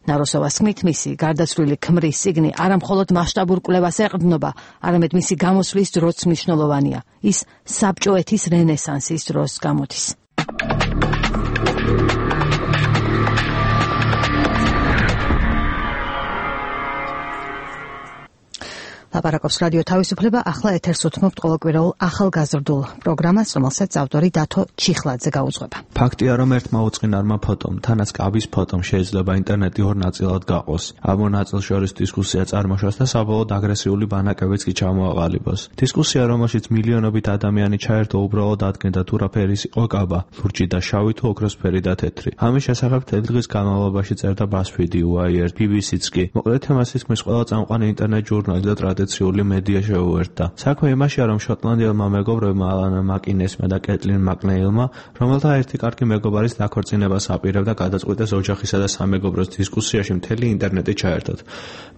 ნარუსოვას თქმით, მისი გარდაცვლილი ქმრის წიგნი არა მხოლოდ მასშტაბურ კვლევას ეყრდნობა, არამედ მისი გამოსვლის დროც მნიშვნელოვანია. ის საბჭოეთის რენესანსის დროს გამოდის. ლაპარაკობს რადიო თავისუფლება, ახლა ეთერს უთმობთ ყოველკვირეულ ახალგაზრდულ პროგრამას, რომელსაც ავტორი დათო ჩიხლაძე გაუძღვება. ფაქტია, რომ ერთმა უწყინარმა ფოტომ, თანაც კაბის ფოტომ შეიძლება ინტერნეტი ორ ნაწილად გაყოს. ამ ნაწილ შორის დისკუსია წარმოშოს და საბოლოოდ აგრესიული ბანაკებიც კი ჩამოაყალიბოს. დისკუსია, რომელშიც მილიონობით ადამიანი ჩაერთო, უბრალოდ ადგენდა თუ რა ფერის იყო კაბა, ლურჯი და შავი თუ ოქროსფერი და თეთრი. ამის შესახებ დღის განმავლობაში წერდა BuzzFeed, Wired, BBC-ც კი. მოკლედ თემას ისმის ყველა წამყვანი ინტერნეტ ჟურნალი და ტრადიციულ ოპოზიციული მედია შეუერთდა. საქმე იმაშია, რომ შოტლანდიელმა მეგობრებმა ალან მაკინესმა და კეტლინ მაკნეილმა, რომელთა ერთი კარგი მეგობარის დაქორწინებას აპირებდა, გადაწყვიტეს ოჯახისა და სამეგობროს დისკუსიაში მთელი ინტერნეტი ჩაერთოთ.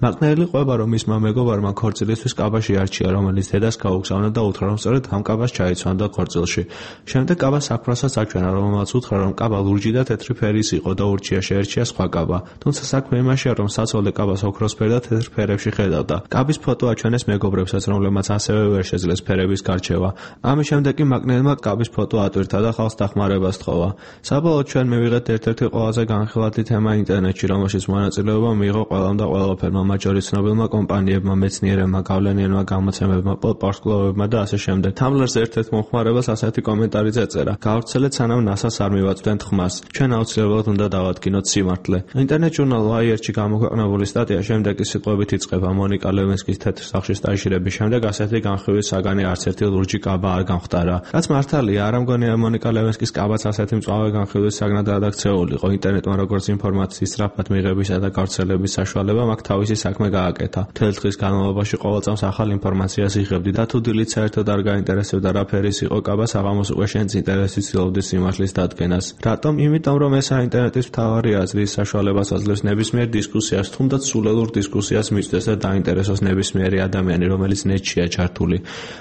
მაკნეილი ყვება, რომ მისმა მეგობარმა ქორწილისთვის კაბაში არჩია, რომელიც დედას გაუგზავნა და უთხრა, რომ სწორედ ამ კაბას ჩაიცვანდა ქორწილში. შემდეგ კაბა საქმროსაც აჩვენა, რომელმაც უთხრა, რომ კაბა ლურჯი და თეთრი ფერის იყო და ურჩია შეერჩია სხვა კაბა. თუმცა საქმე იმაშია, რომ საცოლე კაბას ოქროსფერ და თეთრ ფერებში ხედავდა. კაბის ფოტო აჩვენეს მეგობრებსაც, რომლებმაც ასევე ვერ შეძლეს ფერების გარჩევა. ამის შემდეგ კი მაკნეილმა კაბის ფოტო ატვირთა და ხალხს დახმარებას თხოვა. საბოლოოდ ჩვენ მივიღეთ ერთ-ერთი ყველაზე განხილვადი თემა ინტერნეტში, რომელშიც მონაწილეობა მიიღო ყველამ და ყველაფერმა, მათ შორის ცნობილმა კომპანიებმა, მეცნიერებმა, გავლენიანმა გამოცემებმა, პოდკასტებმა და ასე შემდეგ. Tumblr-ზე ერთ-ერთ მომხმარებელს ასეთი კომენტარი ეწერა: "გავრცელეთ, სანამ NASA-ს არ მივაწვდენთ ხმას. ჩვენ აუცილებლად უნდა დავადგინოთ სიმართლე." ინტერნეტ ჟურნალ Wired-ში გამოქვეყნებული სტატია შემდეგი სიტყვებით იწყება: "მონიკა ლევინსკის თეთრ სახლში სტაჟირების შემდეგ ასეთი განხილვის საგანი არც ერთი ლურჯი კაბა არ გამხდარა." რაც მართალია, არ ამგონია მონიკა ლევინსკის კაბაც ასეთი მწვავე განხილვის საგნად აქცეულიყო. ინტერნეტმა როგორც ინფორმაციის სწრაფად მიღებისა და გავრცელების საშუალება მაქვს თავისი საქმე გააკეთა. მთელი დღის განმავლობაში ყოველ წამს ახალ ინფორმაციას იღებდი და თუ დილით საერთოდ არ გაინტერესებდა რა ფერის იყო კაბა, საღამოს უკვე შენც ინტერესით ცდილობდი სიმართლის დადგენას. რატომ? იმიტომ რომ ეს ინტერნეტის მთავარი აზრი საშუალებას აძლევს ნებისმიერ დისკუსიას, თუნდაც სულელურ დისკუსიას მისცეს და დაინტერესოს ნებისმიერი ადამიანი, რომელიც ნეტშია ჩართული.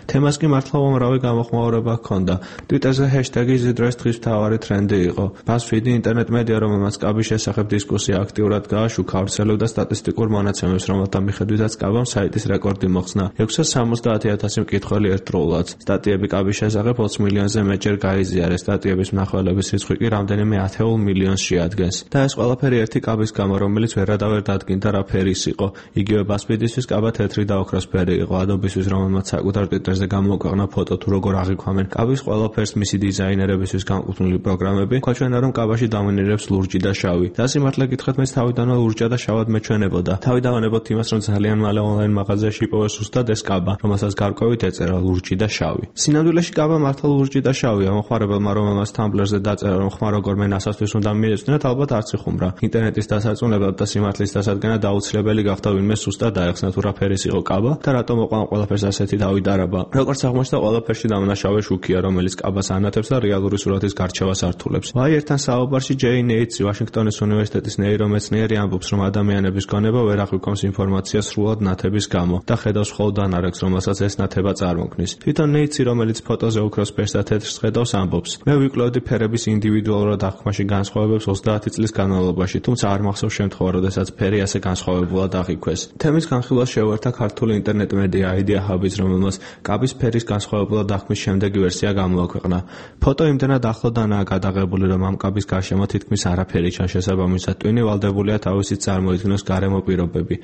თემას კი მართლა უამრავი გამოხმაურება ჰქონდა. Twitter-ზე ჰეშტეგი ზიდროს დღის მთავარი ტრენდი იყო. BuzzFeed-ი ინტერნეტ მედია, რომელმაც კაბის შესახებ დისკუსია აქტიურად გააშუქა, ავრცელებდა სტატისტიკურ მონაცემებს, რომელთა მიხედვითაც კაბამ საიტის რეკორდი მოხსნა 670,000 მკითხველი ერთდროულად. სტატიები კაბის შესახებ 20 მილიონზე მეტჯერ გაიზიარეს. სტატიების მნახველების რიცხვი კი რამდენიმე 10 მილიონს შეადგენს. და ეს ყველაფერი ერთი კაბის გამო, რომელიც ვერადავერ დადგინდა რა ფერის იყო. იგივე BuzzFeed-ისთვის კაბა თეთრი და ოქროსფერი იყო. Adobe-ისთვის, რომელმაც საკუთარ Twitter-ზე გამოაქვეყნა ფოტო თუ როგორ აღიქვამენ კაბის ყველაფერს მისი დიზაინერებისთვის განკუთვნილი პროგრამები, გვაჩვენა, რომ კაბაში დომინირებს ლურჯი და შავი. და სიმართლე გითხრათ, მეც თავიდანვე ლურჯა და შავად მეჩვენებოდა. თავი დავანებოთ იმას, რომ ძალიან მალე ონლაინ მაღაზიაში იპოვეს ზუსტად ეს კაბა, რომელსაც გარკვევით ეწერა ლურჯი და შავი. სინამდვილეში კაბა მართლა ლურჯი და შავია. მომხმარებელმა, რომელმაც Tumblr-ზე დაწერა, რომ ხმა როგორმე NASA-სთვის უნდა მიეწვდნათ, ალბათ არც იხუმრა. ინტერნეტის დასაწუნებლად და სიმართლის დასადგენად აუცილებელი გახდა ვინმე სუსტად დაეხსნა თუ რა ფერის იყო კაბა და რატომ მოყვა ყველაფერს ასეთი დავიდარაბა. როგორც აღმოჩნდა, ყველაფერში დამნაშავე შუქია, რომელიც კაბას ანათებს და რეალური სურათის გარჩევას ართულებს. Wired-თან საუბარში ჯეინ ეიტსი, ვაშინგტონის უნივერსიტეტის ნეირომეცნიერი, ამბობს, რომ ადამიანების გონება ვერ აღვიქვამს ინფორმაციას სრულად ნათების გამო და ხედავს მხოლოდ ანარეგს, რომელსაც ეს ნათება წარმოქმნის. თვითონ ეიტსი, რომელიც ფოტოზე ოქროს ფერს და თეთრს ხედავს, ამბობს: "მე ვიკვლევდი ფერების ინდივიდუალურად აღქმაში განსხვავებებს 30 წლის განმავლობაში, თუმცა არ მახსოვს შემთხვევა, როდესაც ფერი ასე განსხვავებულად აღიქვეს." თემის განხილვას შეუერთდა ქართული ინტერნეტ მედია Idea Hub-ს, რომელმაც კაბის ფერის განსხვავებულად აღქმის შემდეგი ვერსია გამოაქვეყნა. ფოტო იმდენად ახლოდანაა გადაღებული, რომ ამ კაბის გარშემო თითქმის არაფერი ჩანს, შესაბამისად ტვინი ვალდებულია თავისით წარმოიდგინოს გარემო პირობები.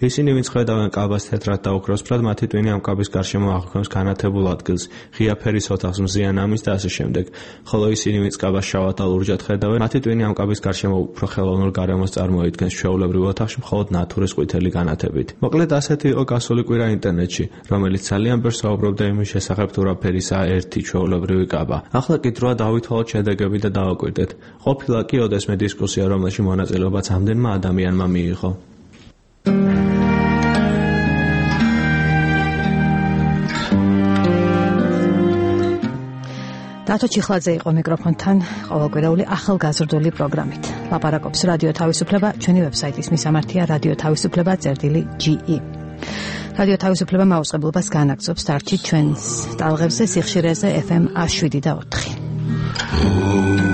ისინი, ვინც ხედავენ კაბას თეთრად და ოქროსფრად, მათი ტვინი ამ კაბის გარშემო აღქმს განათებულ ადგილს, ღია ფერის ოთახს, მზიან ამის და ასე შემდეგ. ხოლო ისინი, ვინც კაბას შავად და ლურჯად ხედავენ, მათი ტვინი ამ კაბის გარშემო უფრო ხელოვნურ გარემოს წარმოიდგენს, ჩვეულებრივ ოთახში მხოლოდ ნათურის ყვითელი განათებით. მოკლედ ასეთი იყო გასული კვირა ინტერნეტში, რომელიც ძალიან ბევრს საუბრობდა იმის შესახებ, თუ რა ფერისაა ერთი ჩვეულებრივი კაბა. ახლა კი დროა დავითვალოთ შედეგები და დავაკვირდეთ. ყოფილა კი ოდესმე დისკუსია, რომელში მონაწილეობაც ამდენმა ადამიანმა მიიღო. დათო ჩიხლაძე იყო მიკროფონთან ყოველკვირეული ახალგაზრდული პროგრამით. ლაპარაკობს რადიო თავისუფლება, ჩვენი ვებსაიტის მისამართია radio-tavisupleba.ge. რადიო თავისუფლება მაუწყებლობას განაგრძობს დარჩით ჩვენს ტალღებზე სიხშირეზე FM 107 და 4.